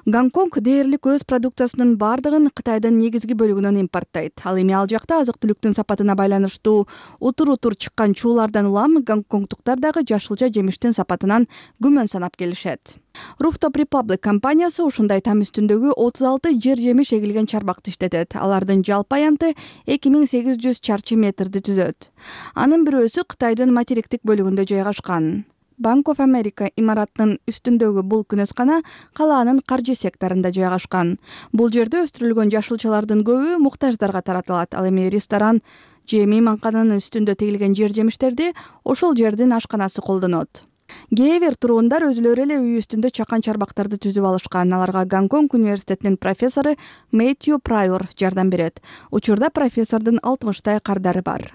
Гонконг дээрлик өз продукциясынын бардыгын Кытайдын негизги бөлүгүнөн импорттойт. Ал эми ал жакта азык-түлүктүн сапатына байланыштуу утур-утур чыккан чуулардан улам гонконгдуктар дагы жашылча жемиштин сапатынан күмөн санап келишет. Rooftop Republic компаниясы ушундай там үстүндөгү отуз алты жер жемиш эгилген чарбакты иштетет. Алардын жалпы аянты эки миң сегиз жүз чарчы метрди түзөт. Анын бирөөсү Кытайдын материктик бөлүгүндө жайгашкан. Bank of America имаратынын үстүндөгү бул күнөскана калаанын каржы секторунда жайгашкан. Бул жерде өстүрүлгөн жашылчалардын көбү муктаждарга таратылат. Ал эми ресторан же мейманкананын үстүндө тегилген жер жемиштерди ошол жердин ашканасы колдонот. Кээ бир тургундар өзүлөрү эле үй үстүндө чакан чарбактарды түзүп алышкан. Аларга Гонконг университетинин профессору Мэтью Прайор жардам берет. Учурда профессордун алтымыштай кардары бар.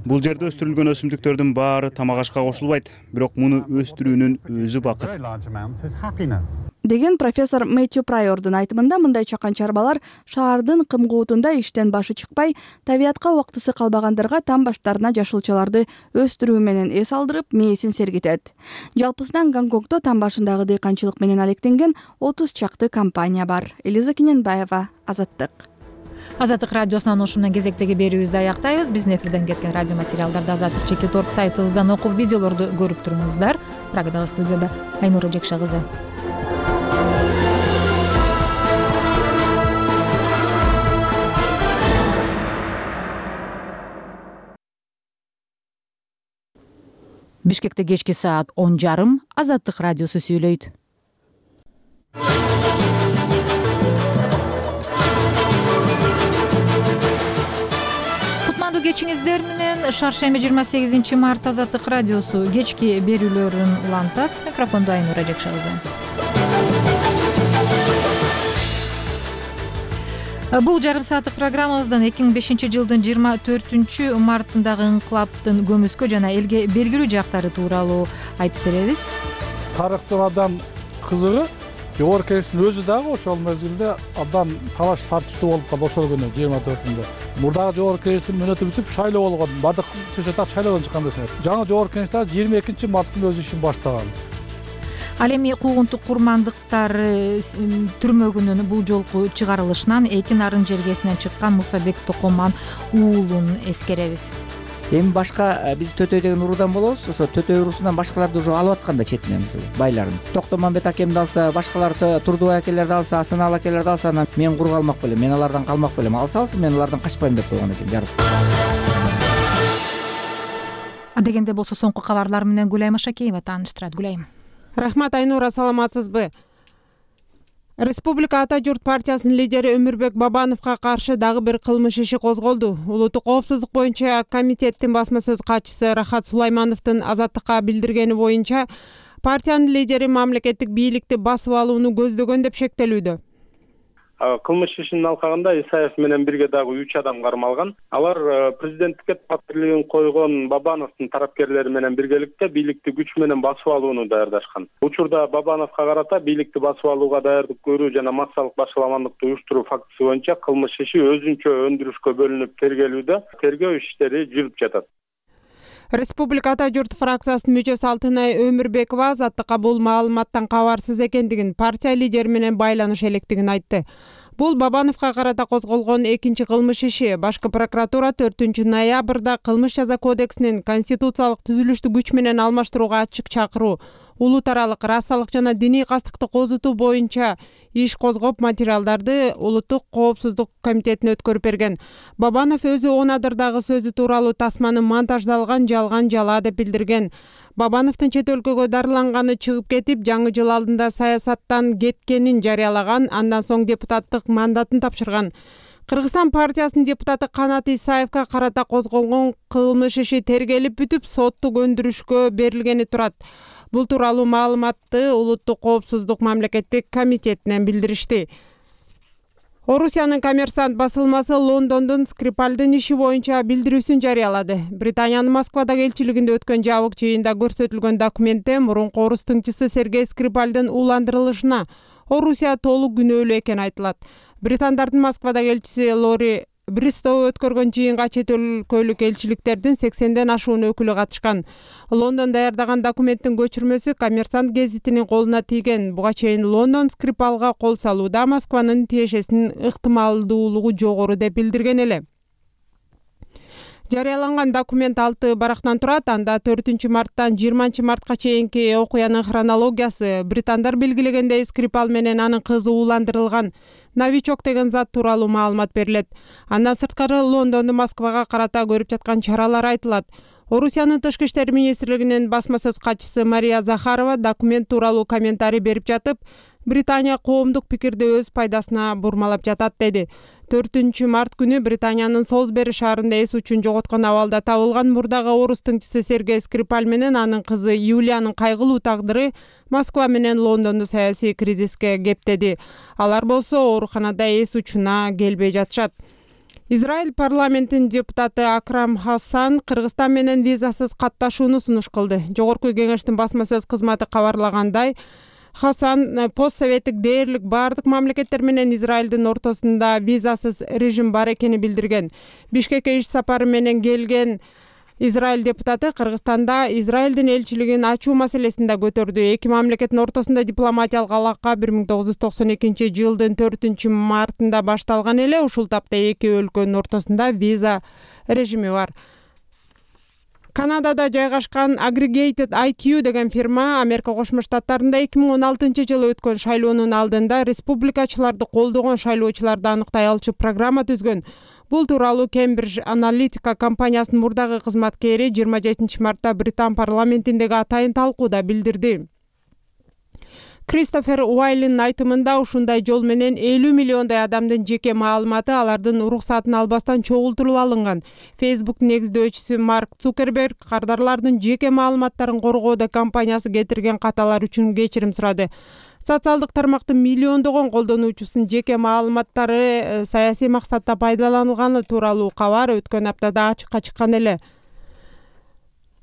Бул жерде өстүрүлгөн өсүмдүктөрдүн баары тамак ашка кошулбайт, бирок муну өстүрүүнүн өзү бакыт. Деген профессор Мэтью Прайордун айтымында мындай чакан чарбалар шаардын кымгуутунда иштен башы чыкпай, табиятка убактысы калбагандарга там баштарына жашылчаларды өстүрүү менен эс алдырып, мээсин сергитет. Жалпысынан Гонконгдо там башындагы дыйканчылык менен алектенген отуз чакты компания бар. Элиза Кененбаева, Азаттык. Азаттык радиосунан ушу менен кезектеги берүүбүздү аяктайбыз. Биздин эфирден кеткен радио материалдарды азаттык чекит орг сайтыбыздан окуп, видеолорду көрүп туруңуздар. Прагадагы студияда Айнура Жекша кызы. Бишкекте кечки саат он жарым Азаттык радиосу сүйлөйт. Кутмандуу кечиңиздер менен шаршемби жыйырма сегизинчи март Азаттык радиосу кечки берүүлөрүн улантат. Микрофондо Айнура Жекша кызы. Бул жарым сааттык программабыздан эки миң бешинчи жылдын жыйырма төртүнчү мартындагы инкылаптын көмүскө жана элге белгилүү жактары тууралуу айтып беребиз. Тарыхтын абдан кызыгы жогорку кеңештин өзү дагы ошол мезгилде абдан талаш тартыштуу болуп калды ошол күнү жыйырма төртүндө. Мурдагы жогорку кеңештин мөөнөтү бүтүп шайлоо болгон, бардык чөчөтак шайлоодон чыккан десеңер. Жаңы жогорку кеңеш дагы жыйырма экинчи марттын өз ишин баштаган. Ал эми куугунтук курмандыктар түрмөгүнүн бул жолку чыгарылышынан эки нарын жергесинен чыккан Мусабек Токоман уулун эскеребиз. Эми башка биз Төтөй деген уруудан болобуз. Ошо Төтөй уруусунан башкаларды уже алып атканда четинен байларын. Токтомамбет акемди алса, башкалар Турдубай акелерди алса, Асанал акелерди алса, анан мен кур калмак белем, мен алардан калмак белем. Алса алсын, мен алардан качпайм деп койгон экен жарык. Дегенде болсо соңку кабарлар менен Гүлайым Ашакеева тааныштырат. Гүлайым. Рахмат Айнура, саламатсызбы? Республика Ата журт партиясынын лидери Өмүрбек Бабановго каршы дагы бир кылмыш иши козголду. Улуттук коопсуздук боюнча комитеттин басма сөз катчысы Рахат Сулаймановдун Азаттыкка билдиргени боюнча партиянын лидери мамлекеттик бийликти басып алууну көздөгөн деп шектелүүдө. Кылмыш ишинин алкагында Исаев менен бирге дагы үч адам кармалган. Алар президенттикке талапкерлигин койгон Бабановдун тарапкерлери менен биргеликте бийликти күч менен басып алууну даярдашкан. Учурда Бабановго карата бийликти басып алууга даярдык көрүү жана массалык башаламандыкты уюштуруу фактысы боюнча кылмыш иши өзүнчө өндүрүшкө бөлүнүп тергелүүдө. Тергөө иштери жүрүп жатат. Республика Ата журт фракциясынын мүчөсү Алтынай Өмүрбекова Азаттыкка бул маалыматтан кабарсыз экендигин, партия лидери менен байланыш электигин айтты. Бул Бабановго карата козголгон экинчи кылмыш иши. Башкы прокуратура төртүнчү ноябрда кылмыш жаза кодексинин конституциялык түзүлүштү күч менен алмаштырууга ачык чакыруу, улут аралык расалык жана диний кастыкты козутуу боюнча иш козгоп, материалдарды Улуттук коопсуздук комитетине өткөрүп берген. Бабанов өзү он адырдагы сөзү тууралуу тасманы монтаждалган жалган жала деп билдирген. Бабановдун чет өлкөгө дарыланганы чыгып кетип, жаңы жыл алдында саясаттан кеткенин жарыялаган, андан соң депутаттык мандатын тапшырган. Кыргызстан партиясынын депутаты Канат Исаевга карата козголгон кылмыш иши тергелип бүтүп, соттук өндүрүшкө берилгени турат. Бул тууралуу маалыматты Улуттук коопсуздук мамлекеттик комитетинен билдиришти. Орусиянын Коммерсант басылмасы Лондондун Скрипальдын иши боюнча билдирүүсүн жарыялады. Британиянын Москвадагы элчилигинде өткөн жабык жыйында көрсөтүлгөн документте мурунку орус тыңчысы Сергей Скрипальдын ууландырылышына Орусия толук күнөөлүү экени айтылат. Британдардын Москвадагы элчиси Лори Бристоу өткөргөн жыйынга чет өлкөлүк элчиликтердин сексенден ашуун өкүлү катышкан. Лондон даярдаган документтин көчүрмөсү Коммерсант гезитинин колуна тийген. Буга чейин Лондон Скрипалга кол салууда Москванын тиешесинин ыктымалдуулугу жогору деп билдирген эле. Жарыяланган документ алты барактан турат. Анда төртүнчү марттан жыйырманчы мартка чейинки окуянын хронологиясы, британдар белгилегендей Скрипал менен анын кызы ууландырылган новичок деген зат тууралуу маалымат берилет. Андан сырткары Лондондун Москвага карата көрүп жаткан чаралар айтылат. Орусиянын тышкы иштер министрлигинин басма сөз катчысы Мария Захарова документ тууралуу комментарий берип жатып, Британия коомдук пикирди өз пайдасына бурмалап жатат деди. төртүнчү март күнү Британиянын Солсбери шаарында эс учун жоготкон абалда табылган мурдагы орус тыңчысы Сергей Скрипаль менен анын кызы Юлиянын кайгылуу тагдыры Москва менен Лондонду саясий кризиске кептеди. Алар болсо ооруканада эс учуна келбей жатышат. Израиль парламентинин депутаты Акрам Хасан Кыргызстан менен визасыз катташууну сунуш кылды. Жогорку кеңештин басма сөз кызматы кабарлагандай, Хасан постсоветтик дээрлик бардык мамлекеттер менен Израилдин ортосунда визасыз режим бар экени билдирген. Бишкекке иш сапары менен келген Израиль депутаты Кыргызстанда Израилдин элчилигин ачуу маселесин да көтөрдү. Эки мамлекеттин ортосунда дипломатиялык алака бир миң тогуз жүз токсон экинчи жылдын төртүнчү мартында башталган эле. Ушул тапта эки өлкөнүн ортосунда виза режими бар. Канадада жайгашкан Aggregated I Q деген фирма Америка Кошмо Штаттарында эки миң он алтынчы жылы өткөн шайлоонун алдында республикачыларды колдогон шайлоочуларды аныктай алчу программа түзгөн. Бул тууралуу Cambridge Analytica компаниясынын мурдагы кызматкери жыйырма жетинчи мартта Британ парламентиндеги атайын талкууда билдирди. Кристофер Уайлинин айтымында ушундай жол менен элүү миллиондой адамдын жеке маалыматы алардын уруксатын албастан чогултулуп алынган. Facebook негиздөөчүсү Марк Цукерберг кардарлардын жеке маалыматтарын коргоодо компаниясы кетирген каталар үчүн кечирим сурады. Социалдык тармактын миллиондогон колдонуучусунун жеке маалыматтары саясий максатта пайдаланылганы тууралуу кабар өткөн аптада ачыкка чыккан эле.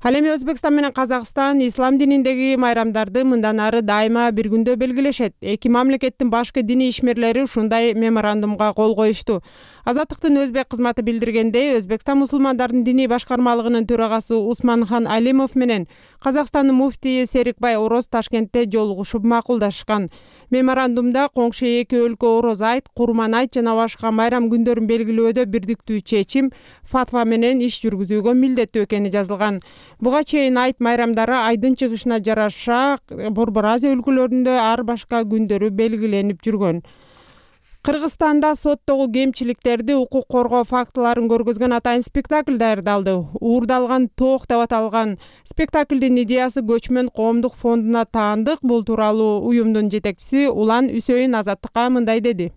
Ал эми Өзбекстан менен Казакстан ислам дининдеги майрамдарды мындан ары дайыма бир күндө белгилешет. Эки мамлекеттин башкы диний ишмерлери ушундай меморандумга кол коюшту. Азаттыктын өзбек кызматы билдиргендей, Өзбекстан мусулмандарынын диний башкармалыгынын төрагасы Усманхан Алимов менен Казакстандын муфтийи Серикбай Ороз Ташкентте жолугушуп макулдашкан. Меморандумда коңшу эки өлкө Ороз айт, Курман айт жана башка майрам күндөрүн белгилөөдө бирдиктүү чечим, фатва менен иш жүргүзүүгө милдеттүү экени жазылган. Буга чейин айт майрамдары айдын чыгышына жараша Борбор Азия өлкөлөрүндө ар башка күндөрү белгиленип жүргөн. Кыргызстанда соттогу кемчиликтерди укук коргоо фактыларын көргөзгөн атайын спектакль даярдалды. Уурдалган тоок деп аталган спектаклдин идеясы Көчмөн коомдук фондуна таандык. Бул тууралуу уюмдун жетекчиси Улан Үсөйүн Азаттыкка мындай деди.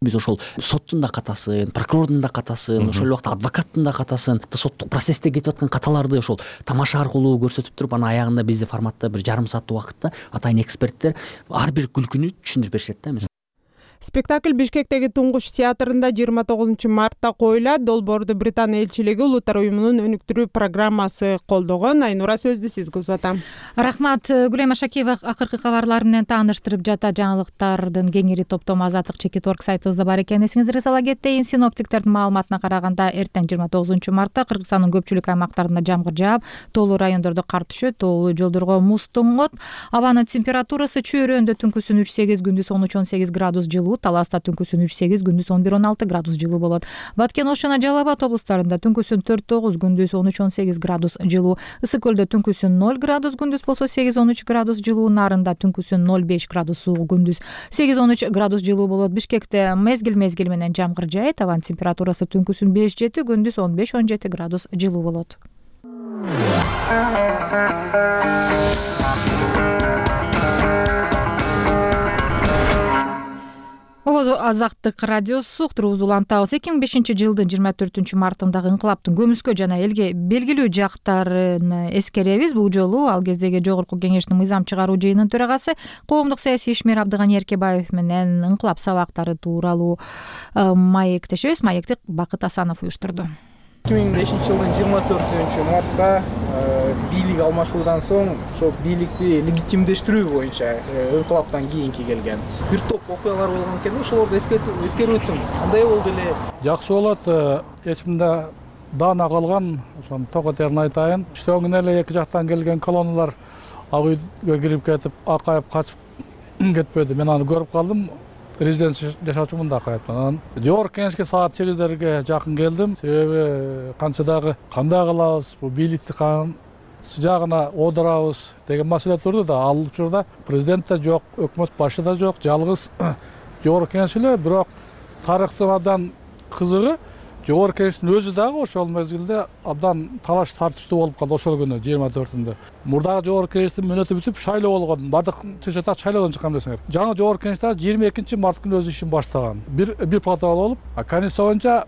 Биз ошол соттун да катасын, прокурордун да катасын, ошол убакта адвокаттын да катасын, соттук процессте кетип аткан каталарды ошол тамаша аркылуу көрсөтүп туруп, анан аягында бизде форматта бир жарым сааттык убакытта атайын эксперттер ар бир күлкүнү түшүндүрүп беришет да. Спектакль Бишкектеги Туңгуш театрында жыйырма тогузунчу мартта коюлат. Долбоорду Британ элчилиги Улуттар уюмунун өнүктүрүү программасы колдогон. Айнура сөздү сизге узатам. Рахмат. Гүлайма Шакиева акыркы кабарлар менен тааныштырып жата. Жаңылыктардын кеңири топтому Азаттык чекит орг сайтыбызда бар экенин эсиңизге сала кетейин. Синоптиктердин маалыматына караганда эртең жыйырма тогузунчу мартта Кыргызстандын көпчүлүк аймактарында жамгыр жаап, тоолуу райондордо кар түшөт, тоолуу жолдорго муз тоңот. Абанын температурасы Чөйрөндө түнкүсүн үч сегиз, күндүз он үч он сегиз градус жылуу, Таласта түнкүсүн үч сегиз, күндүз он бир он алты градус жылуу болот. Баткен Ош жана Жалал Абад облустарында түнкүсүн төрт тогуз, күндүз он үч он сегиз градус жылуу. Ысык көлдө түнкүсүн ноль градус, күндүз болсо сегиз он үч градус жылуу. Нарында түнкүсүн ноль беш градус суугу, күндүз сегиз он үч градус жылуу болот. Бишкекте мезгил мезгил менен жамгыр жаайт. Абанын температурасы түнкүсүн беш жети, күндүз он беш он жети градус жылуу болот. Азаттык радиосу уктуруубузду улантабыз. эки миң бешинчи жылдын жыйырма төртүнчү мартындагы инкылаптын көмүскө жана элге белгилүү жактарын эскеребиз. Бул жолу ал кездеги жогорку кеңештин мыйзам чыгаруу жыйынынын төрагасы коомдук саясий ишмер Абдыганы Эркебаев менен инкылап сабактары тууралуу маектешебиз. Маекти Бакыт Асанов уюштурду. эки миң бешинчи жылдын жыйырма төртүнчү мартта бийлик алмашуудан соң ошол бийликти легитимдештирүү боюнча инкылаптан кийинки келген бир топ окуялар болгон экен. Ошолорду эскерип өтсөңүз кандай болду эле? Жакшы болот. Эч мында даана калган, ошону токотерин айтайын. Иштөөңүн эле эки жактан келген колонналар ак үйгө кирип кетип, акайып качып кетпеди. Мен аны көрүп калдым. Резиденция жашаучумун да акайыптан. Анан жогорку кеңешке саат сегиздерге жакын келдим. Себеби канча дагы кандай кылабыз, бул бийликти кайсы жагына оодурабыз деген маселе турду да. Ал учурда президент да жок, өкмөт башы да жок, жалгыз жогорку кеңеш эле. Бирок тарыхтын абдан кызыгы жогорку кеңештин өзү дагы ошол мезгилде абдан талаш тартыштуу болуп калды ошол күнү жыйырма төртүндө. Мурдагы жогорку кеңештин мөөнөтү бүтүп шайлоо болгон. Бардык чечетак шайлоодон чыккан билесиңер. Жаңы жогорку кеңеш дагы жыйырма экинчи март күнү өз ишин баштаган. Бир бир протокол болуп, конституция боюнча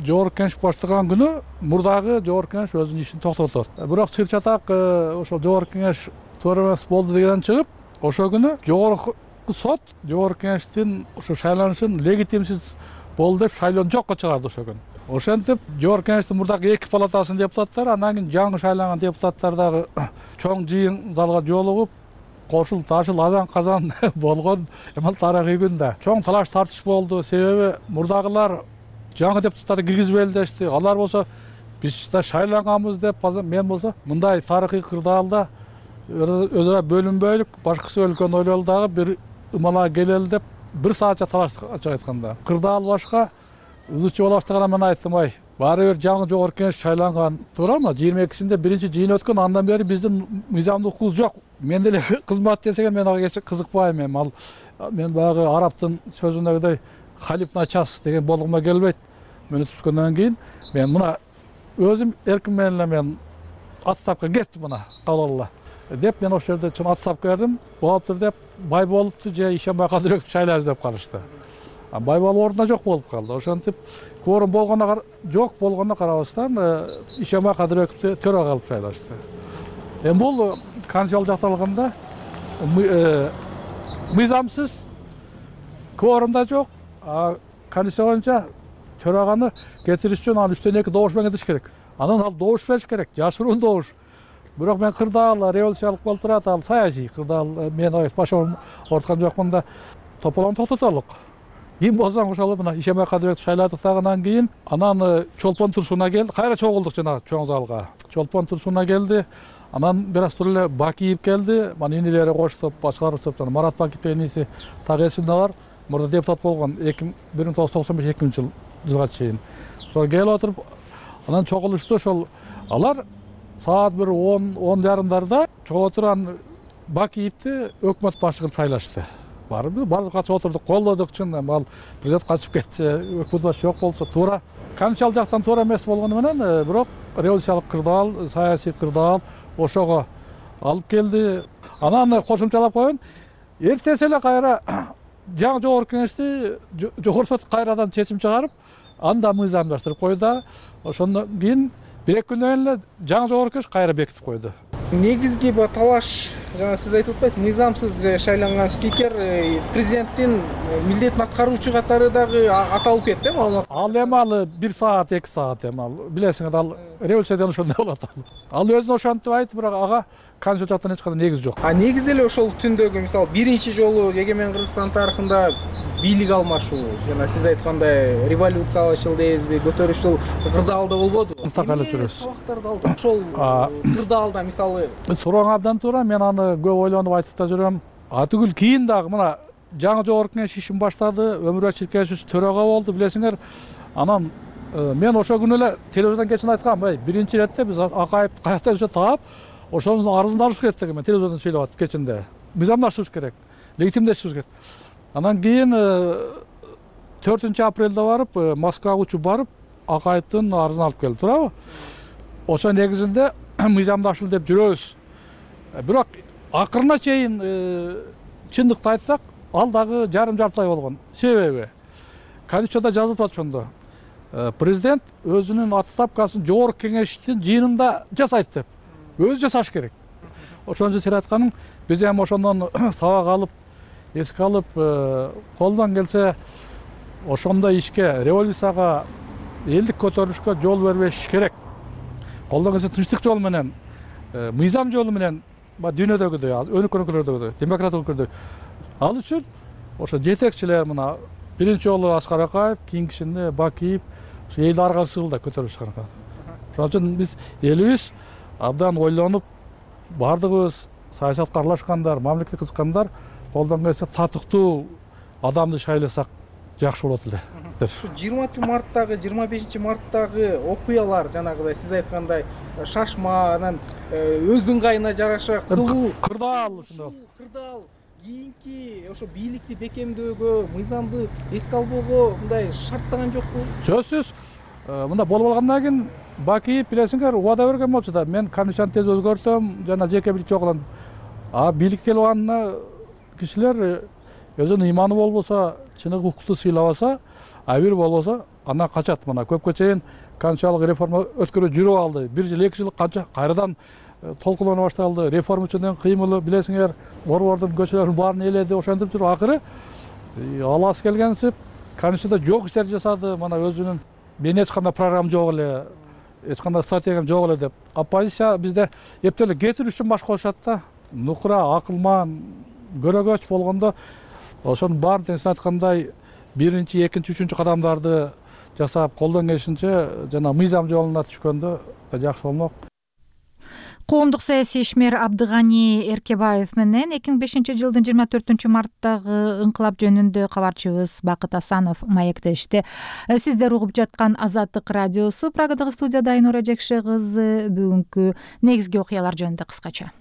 жогорку кеңеш баштаган күнү мурдагы жогорку кеңеш өзүнүн ишин токтотот. Бирок чыр-чатак ошол жогорку кеңеш туура эмес болду дегенден чыгып, ошол күнү жогорку сот жогорку кеңештин ошо шайланышын легитимсиз болду деп шайлоону жокко чыгарды ошол күнү. Ошентип жогорку кеңештин мурдагы эки палатасынын депутаттары, андан кийин жаңы шайланган депутаттар дагы чоң жыйын залга жолугуп, кошул ташыл азан казан болгон эмал тарыхый күн да. Чоң талаш тартыш болду, себеби мурдагылар жаңы депутаттарды киргизбейли дешти. Алар болсо биз да шайланганбыз деп, мен болсо мындай тарыхый кырдаалда өзара бөлүнбөйлүк, башкысы өлкөнү ойлолу дагы бир ымала келели деп бир саатча талаштык ачык айтканда. Кырдаал башка ызычы боло баштаганда мен айттым, ай, баары бир жаңы жогорку кеңеш шайланган, туурабы? жыйырма экисинде биринчи жыйын өткөн, андан бери биздин мыйзамдуу укугубуз жок. Мен деле кызмат десеге мен ага кызыкпайм эми. Ал мен баягы араптын сөзүндөгүдөй халиф начас деген болгума келбейт. Мени түшкөндөн кийин мен мына өзүм эрким менен эле мен отставкага кеттим мына калгыла деп мен ошол жерде чын отставка бердим. Болуптур деп бай болупту же Ишенбай Кадырбековду шайлайбыз деп калышты. Бай болуу ордуна жок болуп калды. Ошентип кворум болгонуна жок болгонуна карабастан Ишенбай Кадырбековду төрага алып шайлашты. Эми бул конституциялык жакталганда мыйзамсыз, кворумда жок. Конституция боюнча төраганы кетириш үчүн ал үчтөн эки добуш менен кетиш керек. Анан ал добуш бериш керек, жашыруун добуш. Бирок мен кырдаал революциялык болуп турат, ал саясий кырдаал, мен башым орткан жокмун да тополону токтотолук. Ким болсоң ошол мына Ишенбай Кадырбековду шайладык дагынан кийин анан Чолпон Турсун'a келди. Кайра чогулдук жана чоң залга. Чолпон Турсун'a келди. Анан бир аз туруп эле Бакиев келди. Мана инилери коштоп, башкалар топтон Марат Бакиев деген иниси так эсимде бар. Мурда депутат болгон бир миң тогуз жүз токсон беш экинчи жылга чейин. Ошол келип отуруп анан чогулушту. Ошол алар саат бир он он жарымдарда чогулуп турган Бакиевди өкмөт башчы кылып шайлашты. Баарыбыз баардык катышып отурдук, колдодук чын. Ал президент качып кетчи, өкмөт башчы жок болсо туура конституциялык жактан туура эмес болгону менен, бирок революциялык кырдаал, саясий кырдаал ошого алып келди. Анан кошумчалап коеюн, эртеси эле кайра жаңы жогорку кеңешти жогорку сот кайрадан чечим чыгарып, анда мыйзамдаштырып койду. Ошондон кийин бир эки күндөн эле жаңы жогорку кеңеш кайра бекитип койду. Негизги талаш, жана сиз айтып атпайсызбы, мыйзамсыз шайланган спикер президенттин милдетин аткаруучу катары дагы аталып кетти, маалымат. Ал эми ал бир саат, эки саат эми ал билесиңер, ал революциядан ошондой болот. Ал өзүн ошентип айтты, бирок ага конституциядан эч кандай негиз жок. А негизи эле ошол түндөгү, мисалы, биринчи жолу эгемен Кыргызстан тарыхында бийлик алмашуу, жана сиз айткандай революциялашыл дейбизби, көтөрүшчүл кырдаалда болбоду. Так эле жүрөбүз. Сабактарды алды. Ошол кырдаалда мисалы сурооң абдан туура, мен аны көп ойлонуп айтып да жүрөм. Атүгүл кийин дагы мына жаңы жогорку кеңеш ишин баштады, Өмүрбек Чиркешевич төрага болду, билесиңер. Анан мен ошол күнү эле телевизордон кечин айткам, ай, биринчи иретте биз Акаевди каяктан жүрсө таап, ошонун арызын алыш керек деген. Мен телевизордон сүйлөп атып кечинде. Мыйзамдашыбыз керек, легитимдешибиз керек. Анан кийин төртүнчү апрелде барып, Москвага учуп барып, Акаевдин арызын алып келди, туурабы? Ошо негизинде мыйзамдашыл деп жүрөбүз. Бирок акырына чейин чындыкты айтсак, ал дагы жарым жартылай болгон. Себеби конституцияда жазылып атат ошондо. Президент өзүнүн отставкасын жогорку кеңештин жыйынында жасайт деп. Өзү жасаш керек. Ошон үчүн сен айтканың, биз эми ошондон сабак алып, эске алып, колдон келсе ошондой ишке, революцияга, элдик көтөрүлүшкө жол бербеш керек. Колдон келсе тынчтык жол менен, мыйзам жолу менен, дүйнөдөгүдөй, өнүккөн өлкөлөрдөгүдөй, демократиялык өлкөлөрдөгүдөй. Ал үчүн ошо жетекчилер мына биринчи жолу Аскар Акаев, кийинкисинде Бакиев, ошо элди арга сыгылда көтөрүлүш аркы. Ошон үчүн биз элибиз абдан ойлонуп, баардыгыбыз саясатка аралашкандар, мамлекетке кызыккандар, колдон келсе татыктуу адамды шайласак жакшы болот эле. Ушу жыйырманчы марттагы, жыйырма бешинчи марттагы окуялар, жанагыдай сиз айткандай шашма, анан өз ыңгайына жараша кылуу, кырдаал ушундой. Кырдаал кийинки ошо бийликти бекемдөөгө, мыйзамды эске албоого мындай шарттаган жокпу? Сөзсүз мында болуп алгандан кийин Бакиев билесиңер убада берген болчу да, мен комиссияны тез өзгөртөм, жана жеке бирчи чогулам. А бийликке келип алганда кишилер өзүнүн ыйманы болбосо, чыныгы укукту сыйлабаса, а бир болбосо андан качат. Мына көпкө чейин конституциялык реформа өткөрүп жүрүп алды. Бир жыл, эки жыл канча кайрадан толкулана башталды. Реформа үчүн кыймылы билесиңер, борбордун көчөлөрүн баарын ээледи, ошентип жүрүп акыры аласы келгенсип конституцияда жок иштерди жасады. Мына өзүнүн мен эч кандай программа жок эле, эч кандай стратегиям жок эле деп. Оппозиция бизде эптеле кетирүү үчүн баш коюшат да. Нукура, акылман, көрөгөч болгондо ошонун баарын тең сиз айткандай биринчи, экинчи, үчүнчү кадамдарды жасап, колдон келишинче жана мыйзам жолуна түшкөндө жакшы болмок. Коомдук саясий ишмер Абдыганы Эркебаев менен эки миң бешинчи жылдын жыйырма төртүнчү марттагы ыңкылап жөнүндө кабарчыбыз Бакыт Асанов маектешти. Сиздер угуп жаткан Азаттык радиосу. Прагадагы студияда Айнура Жекше кызы бүгүнкү негизги окуялар жөнүндө кыскача.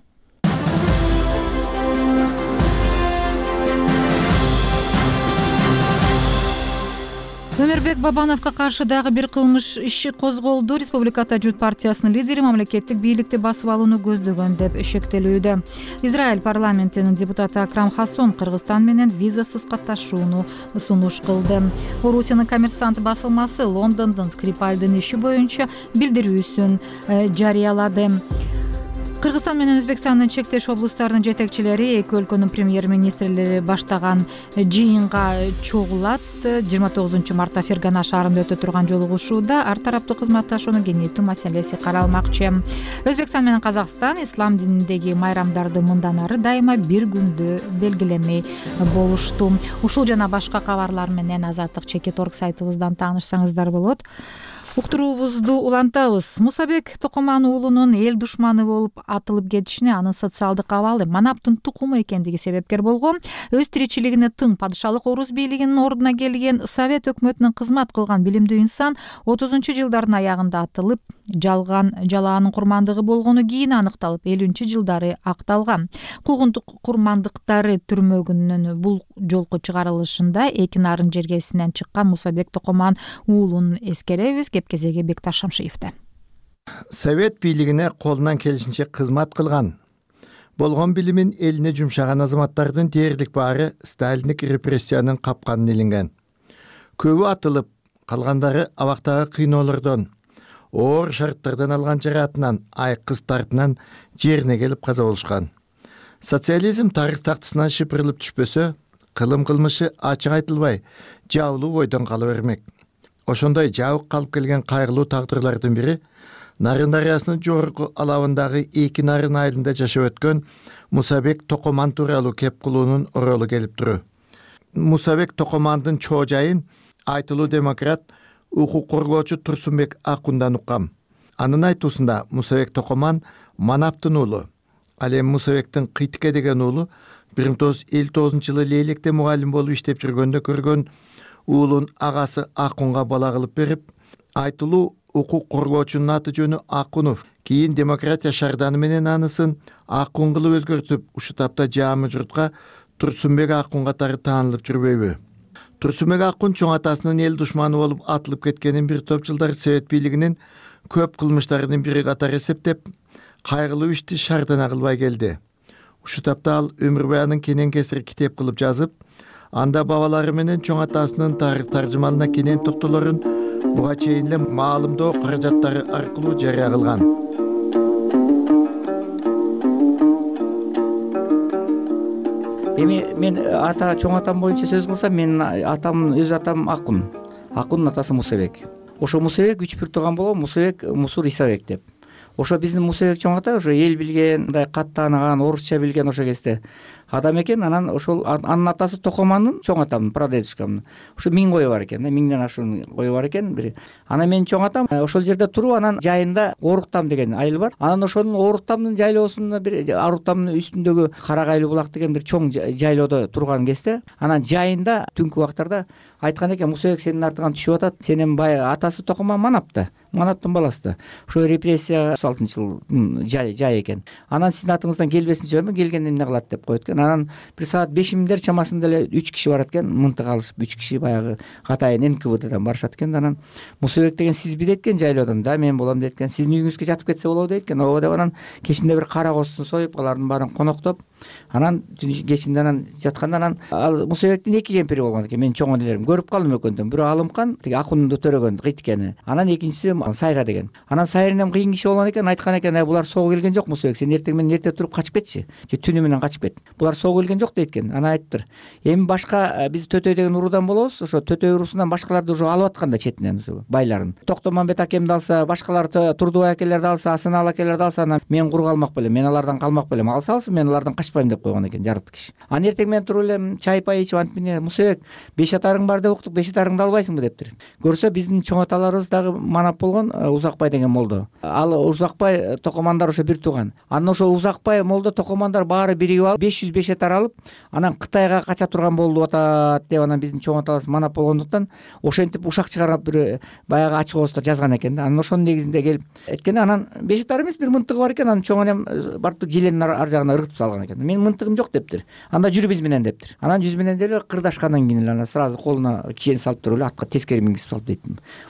Өмүрбек Бабановго каршы дагы бир кылмыш иши козголду. Республиката Жут партиясынын лидери мамлекеттик бийликти басып алууну көздөгөн деп шектелүүдө. Израиль парламентинин депутаты Акрам Хассон Кыргызстан менен визасыз катташууну сунуш кылды. Орусиянын Коммерсант басылмасы Лондондун Скрипальдын иши боюнча билдирүүсүн жарыялады. Кыргызстан менен Өзбекстандын чектеш облустарынын жетекчилери эки өлкөнүн премьер-министрлери баштаган жыйынга чогулат. жыйырма тогузунчу мартта Фергана шаарында өтө турган жолугушууда ар тараптуу кызматташууну кеңейтүү маселеси каралмакчы. Өзбекстан менен Казакстан ислам дининдеги майрамдарды мындан ары дайыма бир күндө белгилемей болушту. Ушул жана башка кабарлар менен азаттык чекит точка орг сайтыбыздан таанышсаңыздар болот. Уктуруубузду улантабыз. Мусабек Токоман уулунун эл душманы болуп атылып кетишине анын социалдык абалы Манаптын тукуму экендиги себепкер болгон. Өз тиричилигине тың падышалык орус бийлигинин ордуна келген Совет өкмөтүнүн кызмат кылган билимдүү инсан отузунчу жылдардын аягында атылып, жалган жалаанын курмандыгы болгону кийин аныкталып, элүүнчү жылдары акталган. Куугунтук курмандыктары түрмөгүнүн бул жолку чыгарылышында эки нарын жергесинен чыккан Мусабек Токоман уулун эскеребиз. Кезеги Бекташ Шамшиевде. Совет бийлигине колунан келишинче кызмат кылган, болгон билимин элине жумшаган азаматтардын дээрлик баары сталиндик репрессиянын капканына илинген. Көбү атылып, калгандары абактагы кыйноолордон, оор шарттардан алган жараатынан, айкыз тартынан жерине келип каза болушкан. Социализм тарых тактысынан шыпырылып түшпөсө, кылым кылмышы ачык айтылбай, жабылуу бойдон кала бермек. Ошондой жабык калып келген кайгылуу тагдырлардын бири Нарын дарыясынын жогорку алабындагы эки нарын айылында жашап өткөн Мусабек Токоман тууралуу кеп кылуунун оролу келип туру. Мусабек Токомандын чоо жайын айтылуу демократ, укук коргоочу Турсунбек Акундан уккам. Анын айтуусунда Мусабек Токоман Манаптын уулу. Ал эми Мусабектин Кыйтыке деген уулу бир миң тогуз жүз элүү тогузунчу жылы Лейлекте мугалим болуп иштеп жүргөндө көргөн уулун агасы Акунга бала кылып берип, айтылуу укук коргоочунун аты жөнү Акунов. Кийин демократия шарданы менен анысын Акун кылып өзгөртүп, ушу тапта жаамы журтка Турсунбек Акун катары таанылып жүрбөйбү? Турсунбек Акун чоң атасынын эл душманы болуп атылып кеткенин бир топ жылдар Совет бийлигинин көп кылмыштарынын бири катары эсептеп, кайгылуу ишти шардана кылбай келди. Ушу тапта ал өмүр баянын кенен кесир китеп кылып жазып, анда бабалары менен чоң атасынын тарых таржымалына кенен токтолорун буга чейин эле маалымдоо каражаттары аркылуу жарыя кылган. Эми мен ата чоң атам боюнча сөз кылсам, менин атам өз атам Акун. Акундун атасы Мусабек. Ошо Мусабек үч бир тууган болгон, Мусабек Мусур Исабек деп. Ошо биздин Мусабек чоң ата ошо эл билген, мындай кат тааныган, орусча билген ошо кезде адам экен. Анан ошол анын атасы Токомандын чоң атамдын прадедушкамдын ошо миң кою бар экен, миңден ашуун кою бар экен. Бир анан менин чоң атам ошол жерде туруп, анан жайында Оруктам деген айыл бар. Анан ошонун Оруктамдын жайлоосунда бир Оруктамдын үстүндөгү Карагайлуу булак деген бир чоң жайлоодо турган кезде, анан жайында түнкү убактарда айткан экен: Мусабек сенин артыңан түшүп атат, сенин бай атасы Токоман Манапта, Манаптын баласы да. Ошо репрессия алтынчы жылдын жай жай экен. Анан сиздин атыңыздан келбесин жөнү келгенде эмне кылат деп коет экен. анан бир саат бешимдер чамасында эле үч киши барат экен, мынтык алышып, үч киши баягы атайын эн ка вэ дэден барышат экен. Анан Мусабек деген сизби дейт экен жайлоодон, да мен болом дейт экен. Сиздин үйүңүзгө жатып кетсе болобу дейт экен. Ооба деп анан кечинде бир кара козусун союп, алардын баарын коноктоп, анан кечинде анан жатканда анан ал Мусабектин эки кемпири болгон экен. Мен чоң энелерим көрүп калдым экөөндөн. Бирөө Алымкан, тиги Акунду төрөгөн кыйткени. Анан экинчиси Сайра деген. Анан Сайринен кыйын киши болгон экен, айткан экен, булар сого келген жок Мусабек, сен эртең менен эрте туруп качып кетчи. Же түнү менен качып кет. Булар сого келген жок дейт экен. Анан айтыптыр. Эми башка биз Төтөй деген уруудан болобуз. Ошо Төтөй уруусунан башкаларды уже алып атканда четинен байларын. Токтомамбет акемди алса, башкалар Турдубай акелерди алса, Асанал акелерди алса, анан мен кур калмак белем, мен алардан калмак белем. Алса алсын, мен алардан качпайм деп койгон экен жарык киши. Анан эртең менен туруп эле чай пай ичип антип эмне Мусабек, беш атарың бар деп уктук, беш атарыңды албайсыңбы дептир. Көрсө биздин чоң аталарыбыз дагы манап болгон Узакбай деген молдо. Ал Узакбай токомандар ошо бир тууган. Анан ошо Узакбай молдо токомандар баары биригип алып беш жүз беш атар алып, анан Кытайга кача турган болуп атат деп анан биздин чоң аталарыбыз манап болгондуктан ошентип ушак чыгарып бир баягы ачык ооздо жазган экен. Анан ошонун негизинде келип эткени анан беш атар эмес бир мынтыгы бар экен. Анан чоң энем барып желенин ар жагына ыргытып салган экен. Менин мынтыгым жок дептир. Анда жүрү биз менен дептир. Анан жүз менен деле кырдашкандан кийин эле анан сразу колуна кишени салып туруп эле атка тескери мингизип салып дейт.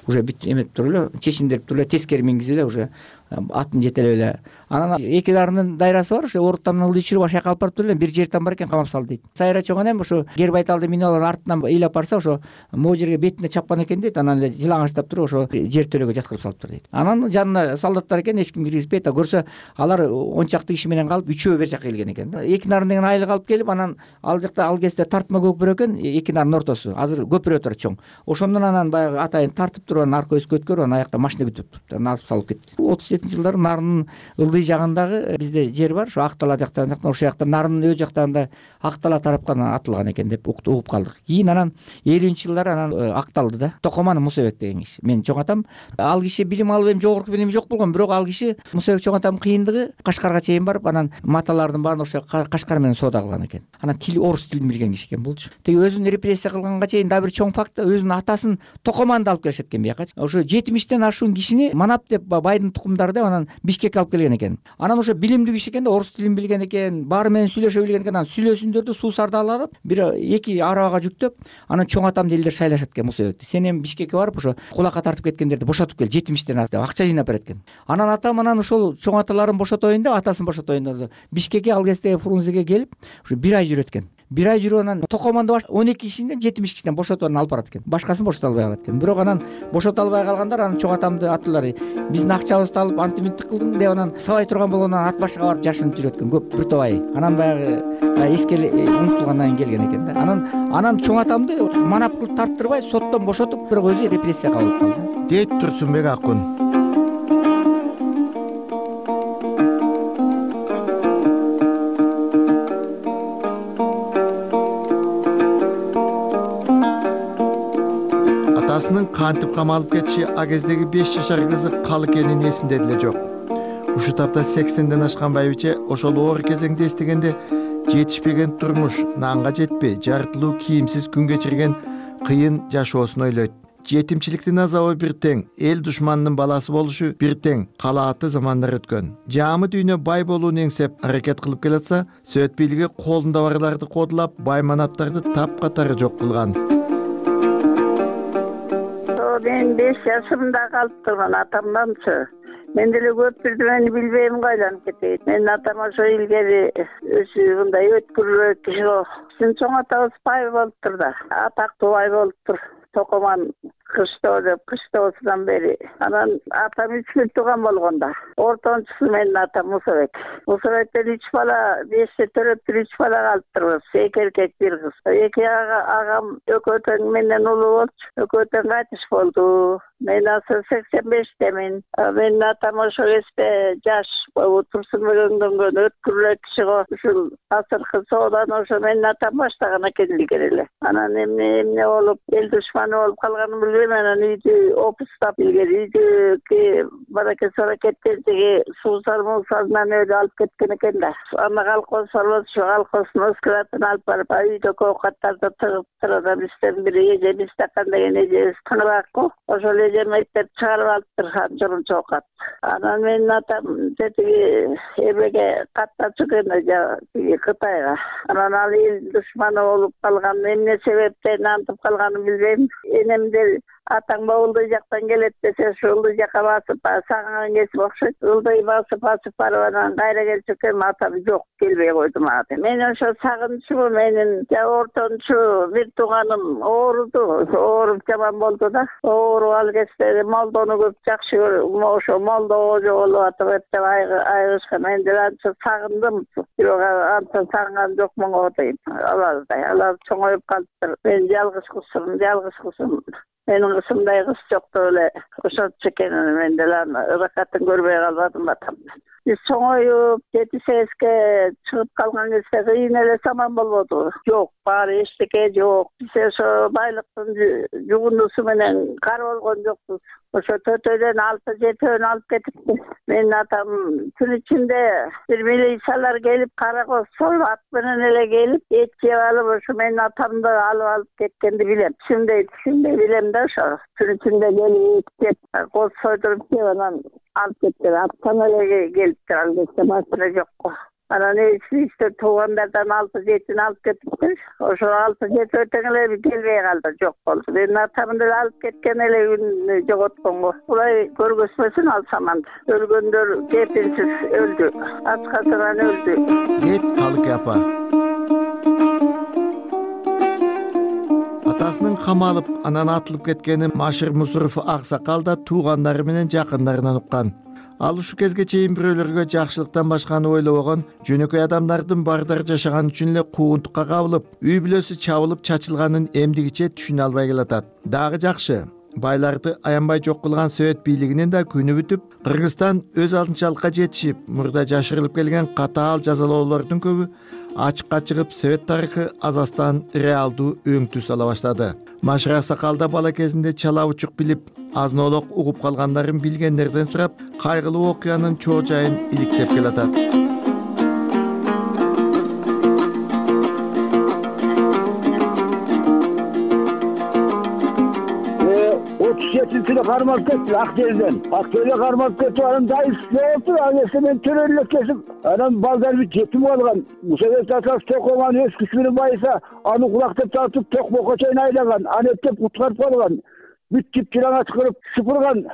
Уже бүт эметип туруп эле чечиндирип туруп эле тескери мингизип эле уже атын жетелеп эле. Анан эки дарынын дайрасы бар, ошо Оруттамдын ылдый чүрүп ашакка алып барып туруп эле бир жертан бар экен, камап салды дейт. Сайра чоң энем ошо Гер Байталды минип алып артынан ыйлап барса, ошо могу жерге бетине чапкан экен дейт. Анан эле жылаңачтап туруп ошо жер төлөгө жаткырып салыптыр дейт. Анан жанына солдаттар экен, эч ким киргизбейт. Көрсө алар он чакты киши менен калып үчөө бер жака келген экен. Эки нарын деген айлык алып келип, анан ал жакта ал кезде тартма көпүрө экен, эки нарын ортосу. Азыр көпүрө турат чоң. Ошондон анан баягы атайын тартып туруп анан арка өскө өткөрүп, анан аякта машина күтүп турупту. Анан алып салып кетти. отуз жетинчи жылдары Нарынын ылдый жагындагы бизде жер бар, ошо Актала жактан жактан ошол жакта Нарынын өз жактарында Актала тарапка атылган экен деп угуп калдык. Кийин анан элүүнчү жылдары анан акталды да. Токоман Мусабек деген киши. Менин чоң атам, ал киши билим алып эми жогорку билими жок болгон, бирок ал киши Мусабек чоң атамдын кыйындыгы Кашкарга чейин барып, анан маталардын баарын ошо Кашкар менен соода кылган экен. Анан тил орус тилин билген киши экен булчу. Теги өзүн репрессия кылганга чейин дагы бир чоң факт, өзүнүн атасын Токоманды алып келишет экен биякачы. Ошо жетимиштен ашуун кишини манап деп байдын тукумдары деп анан Бишкекке алып келген экен. Анан ошо билимдүү киши экен да, орус тилин билген экен, баары менен сүйлөшө билген экен. Анан сүйлөсүндөрдү суусарды алып, бир эки арабага жүктөп, анан чоң атамды элдер шайлашат экен Мусабекти. Сен эми Бишкекке барып ошо кулакка тартып кеткендерди бошотуп кел, жетимиштен деп акча жыйнап берет экен. Анан атам анан ошол чоң аталарын бошотоюн деп, атасын бошотоюн деп Бишкекке ал кезде Фрунзеге келип, ушу бир ай жүрөт экен. Бир ай жүрүп анан Токоманды баш он эки кишиден жетимиш кишиден бошотуп анан алып барат экен. Башкасын бошото албай калат экен. Бирок анан бошото албай калгандар анан чоң атамды аттылар. Биздин акчабызды алып антиминтик кылдың деп анан сабай турган болгондон ат башыга барып жашынып жүрөт экен көп бир топ ай. Анан баягы эскели унутулгандан кийин келген экен да. Анан анан чоң атамды манап кылып тарттырбай соттон бошотуп, бирок өзү репрессияга алып калды дейт Турсунбек Акун. Атасынын кантип камалып кетиши а кездеги беш жашар кызы кал экенин эсинде деле жок. Ушу тапта сексенден ашкан байбиче ошол оор кезеңди эстегенде жетишпеген турмуш, нанга жетпей, жартылуу кийимсиз күн кечирген кыйын жашоосун ойлойт. Жетимчиликтин азабы бир тең, эл душманынын баласы болушу бир тең калааты замандар өткөн. Жаамы дүйнө бай болууну эңсеп аракет кылып келатса, Совет бийлиги колунда барларды кодулап, бай манаптарды тапкатары жок кылган. Мен беш жашымда калып турган атамданчы. Мен деле көп бирдемени билбейм, кайланып кетейт. Менин атам ошо илгери өзү мындай өткүрүрөөк киши болуп. Биздин чоң атабыз бай болуптур да. Атактуу бай болуптур. Токоман кыштоо деп, кыштоосунан бери. Анан атам үч бир тууган болгондо. Ортончусу менин атам Мусабек. Мусабектен үч бала, беште төрөптүр үч бала калыптырбыз. Эки эркек, бир кыз. Эки агам экөө тең менден улуу болчу. Экөө тең кайтыш болду. Мен азыр сексен бештемин. Менин атам ошо кезде жаш Турсунбек өңдөнгөн өткүрүлөк киши го. Ушул азыркы сооданы ошо менин атам баштаган экен илгери эле. Анан эмне эмне болуп, эл душманы болуп калганын киргизем, анан үйдү опустап, илгери үйдү баракет саракеттердеги суу сармусарынан өзү алып кеткен экен да. Аны колхоз сорбос, ошо колхоздун складына алып барып, үйдөгү оокаттарды тыгып турат. Бизден бири эжебиз такан деген эжебиз тыңыракку. Ошол эжем эптеп чыгарып алыптыр анча оокат. Анан менин атам тетиги эбеге каттачу экен, Кытайга. Анан ал эл душманы болуп калган, эмне себептен антып калганын билбейм. Энемдер атаң Ылдый жактан келет десе, ошо Ылдый жакка басып, сагынган кесип окшойт. Ылдый басып басып барып анан кайра келчү экен, атам жок, келбей койду мага. Мен ошо сагынчумун, менин ортончу бир тууганым ооруду, ооруп жаман болду да. Ооруп ал кезде молдону көп жакшы көрүп, ошо молдо оожо болуп атып деп айгышкан. Мен деле анча сагындым, бирок анча сагынган жокмун го дейм. Алардай, алар чоңоюп калыптыр. Мен жалгыз кызмын, жалгыз кызмын. Менин кызымдай кыз жок деп эле ошончу экен. Мен деле ыракатын көрбөй калбадым атам. Биз чоңоюп жети сегизге чыгып калган кезде кыйын эле саман болбоду. Жок, баары эчтеке жок. Биз ошо байлыктын жугундусу менен кар болгон жокпуз. Ошо төтөйдөн алты жетөөнү алып кетипти. Менин атам түн ичинде бир милициялар келип, каракоз союп, ат менен эле келип, эт жеп алып, ошо менин атамды алып алып кеткенди билем. Түшүнбөй, түшүнбөй билем да ошо. Түн ичинде келип, кеп, коз сойдуруп жеп, анан алып кеткен. Аттан эле келиптир, ал кезде машина жокко. Анан эчте туугандардан алты жетини алып кетиптир. Ошо алты жети өтөң эле келбей калды, жок болду. Менин атамды алып кеткен эле күн жоготконго. Булай көргөзмөсүн ал саманды. Өлгөндөр кепилсиз өлдү, ачкасынан өлдү. Кет Калык апа. Атасынын камалып, анан атылып кеткени Машир Мусуров аксакал да туугандары менен жакындарынан уккан. Ал ушу кезге чейин бирөөлөргө жакшылыктан башканы ойлобогон, жөнөкөй адамдардын бардары жашаган үчүн эле куугунтукка кабылып, үй бүлөсү чабылып чачылганын эмдигиче түшүнө албай келатат. Дагы жакшы, байларды аянбай жок кылган Совет бийлигинин да күнү бүтүп, Кыргызстан өз алдынчалыкка жетишип, мурда жашырылып келген катаал жазалоолордун көбү ачыкка чыгып, Совет тарыхы Азастан реалдуу өң түс ала баштады. Машир аксакал да бала кезинде чала учук билип, азын-олок угуп калгандарын билгендерден сурап, кайгылуу окуянын чоо жайын иликтеп келатат. отуз жетинчи жылы кармалып кетти Актелден. Актелге кармалып кетип, анан дайыс болду. Ал мен төрөлүп кесип, анан балдар бит жетим калган. Совет атасы токоган өз күчү менен байыса, аны кулактап тартып Токмокко чейин айлаган, аны эптеп куткарып калган. Бүт тип-тираңа чыгарып сыпырган,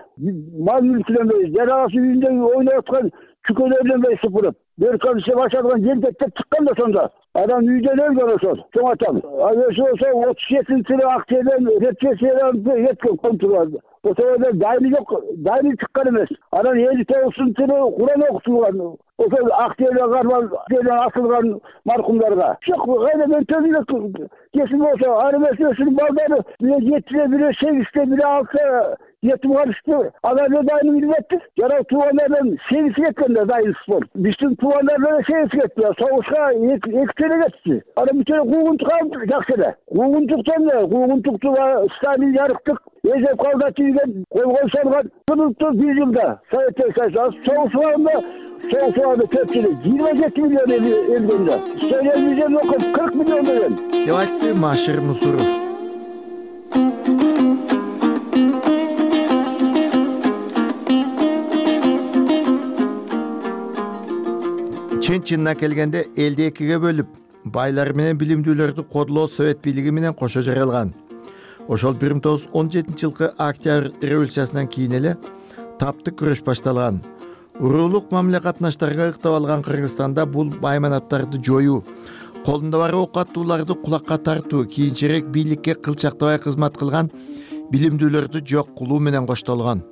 мал мүлкүнөн, жарагасы үйүндө ойноп аткан чүкөлөрдөн бери сыпырып, бөркөн ише башалган жердеттеп чыккан да сонда. Адам үйдөн өлгөн ошол, чоң атам. Ал өзү болсо отуз жетинчи жылы Актелден репрессиядан кеткен контролду. Ошол дайны жок, дайны чыккан эмес. Анан элүү тогузунчу жылы Куран окутулган. Ошол Актелге кармал, Актелден асылган маркумдарга. Жок, кайда мен төбүлөк кесип болсо, ар эмесин балдары жетиде бире, сегизде бире алса жетим калышты. Алар дайны билбепти. Жарак туугандардан сегиз кеткен да дайынсыз болуп. Биздин туугандардан сегиз кетти. Согушка эки келе кетти. Анан бүтө куугунтук алып жакшы эле. Куугунтуктан да, куугунтукту Сталин жарыктык, эзеп калда тийген, колгой салган. Кылыктуу бир жылда Совет Союзу согушканда, согушканда төрт жыл, жыйырма жети миллион элгенде. Сталин миллион окуп кырк миллион деген. Деп айтты Машир Мусуров. Чын-чынына келгенде элди экиге бөлүп, байлар менен билимдүүлөрдү кодулоо Совет бийлиги менен кошо жаралган. Ошол бир миң тогуз жүз он жетинчи жылкы Октябрь революциясынан кийин эле таптык күрөш башталган. Уруулук мамиле катнаштарга ыктап алган Кыргызстанда бул байманаттарды жоюу, колунда бар ок аттууларды кулакка тартуу, кийинчерээк бийликке кылчактабай кызмат кылган билимдүүлөрдү жок кылуу менен коштолгон.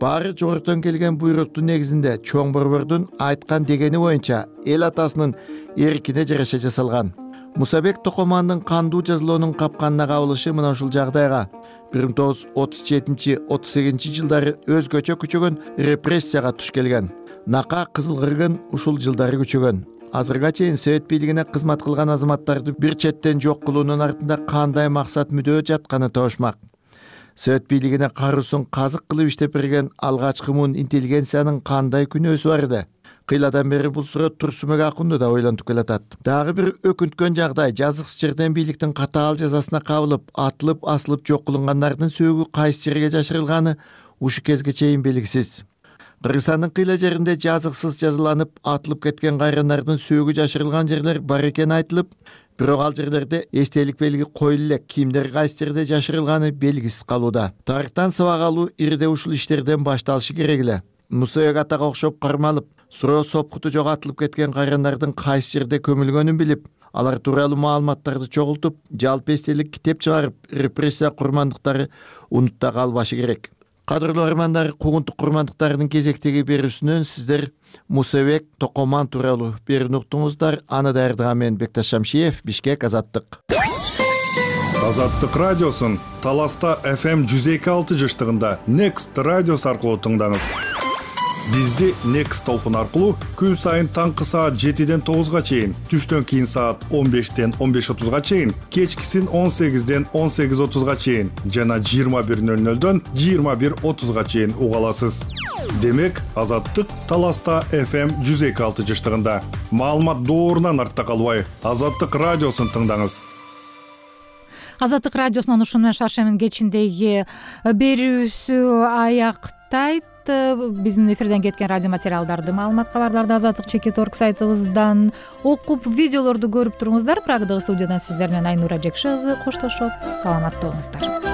Баары жогорудон келген буйруктун негизинде чоң борбордун айткан дегени боюнча эл атасынын эркине жараша жасалган. Мусабек Токомандын кандуу жазалоонун капканына кабылышы мына ушул жагдайга бир миң тогуз жүз отуз жетинчи отуз сегизинчи жылдары өзгөчө күчөгөн репрессияга туш келген. Нака кызыл кыргын ушул жылдары күчөгөн. Азырга чейин Совет бийлигине кызмат кылган азаматтарды бир четтен жок кылуунун артында кандай максат мүдөө жатканы табышмак. совет бийлигине каруусун казык кылып иштеп берген алгачкы муун интеллигенциянын кандай күнөөсү бар эле? Кыйладан бери бул суроо Турсунбек Акунду да ойлонтуп келатат. Дагы бир өкүнткөн жагдай, жазыксыз жерден бийликтин катаал жазасына кабылып, атылып, асылып жок кылынгандардын сөөгү кайсы жерге жашырылганы ушу кезге чейин белгисиз. Кыргызстандын кыйла жеринде жазыксыз жазаланып, атылып кеткен кайрандардын сөөгү жашырылган жерлер бар экени айтылып, бирок ал жерлерде эстелик белги коюлуп элек, кимдер кайсы жерде жашырылганы белгисиз калууда. Тарыхтан сабак алуу ирде ушул иштерден башталышы керек эле. Мусабек атага окшоп кармалып, суроо сопкуту жоготулуп кеткен кайрандардын кайсы жерде көмүлгөнүн билип, алар тууралуу маалыматтарды чогултуп, жалпы эстелик китеп чыгарып, репрессия курмандыктары унутта калбашы керек. Кадырлуу армандар, куугунтук курмандыктарынын кезектеги берүүсүнөн сиздер Мусабек Токоман тууралуу берүүнү уктуңуздар. Аны даярдаган мен Бекташ Шамшиев, Бишкек, Азаттык. Азаттык радиосун Таласта эф эм жүз эки алты жыштыгында Next радиосу аркылуу тыңдаңыз. Бизди Next толкун аркылуу күн сайын таңкы саат жетиден тогузга чейин, түштөн кийин саат он бештен он беш отузга чейин, кечкисин он сегизден он сегиз отузга чейин жана жыйырма бир нөл нөлдөн жыйырма бир отузга чейин уга аласыз. Демек, Азаттык Таласта эф эм жүз эки алты жыштыгында. Маалымат доорунан артта калбай, Азаттык радиосун тыңдаңыз. Азаттык радиосунун ушуну менен Шаршемин кечиндеги берүүсү аяктайт. Биздин эфирден кеткен радио материалдарды, маалымат кабарларды азаттык чекит точка орг сайтыбыздан окуп, видеолорду көрүп туруңуздар. Прагадагы студиядан сиздер менен Айнура Жекши кызы коштошот. Саламатта болуңуздар.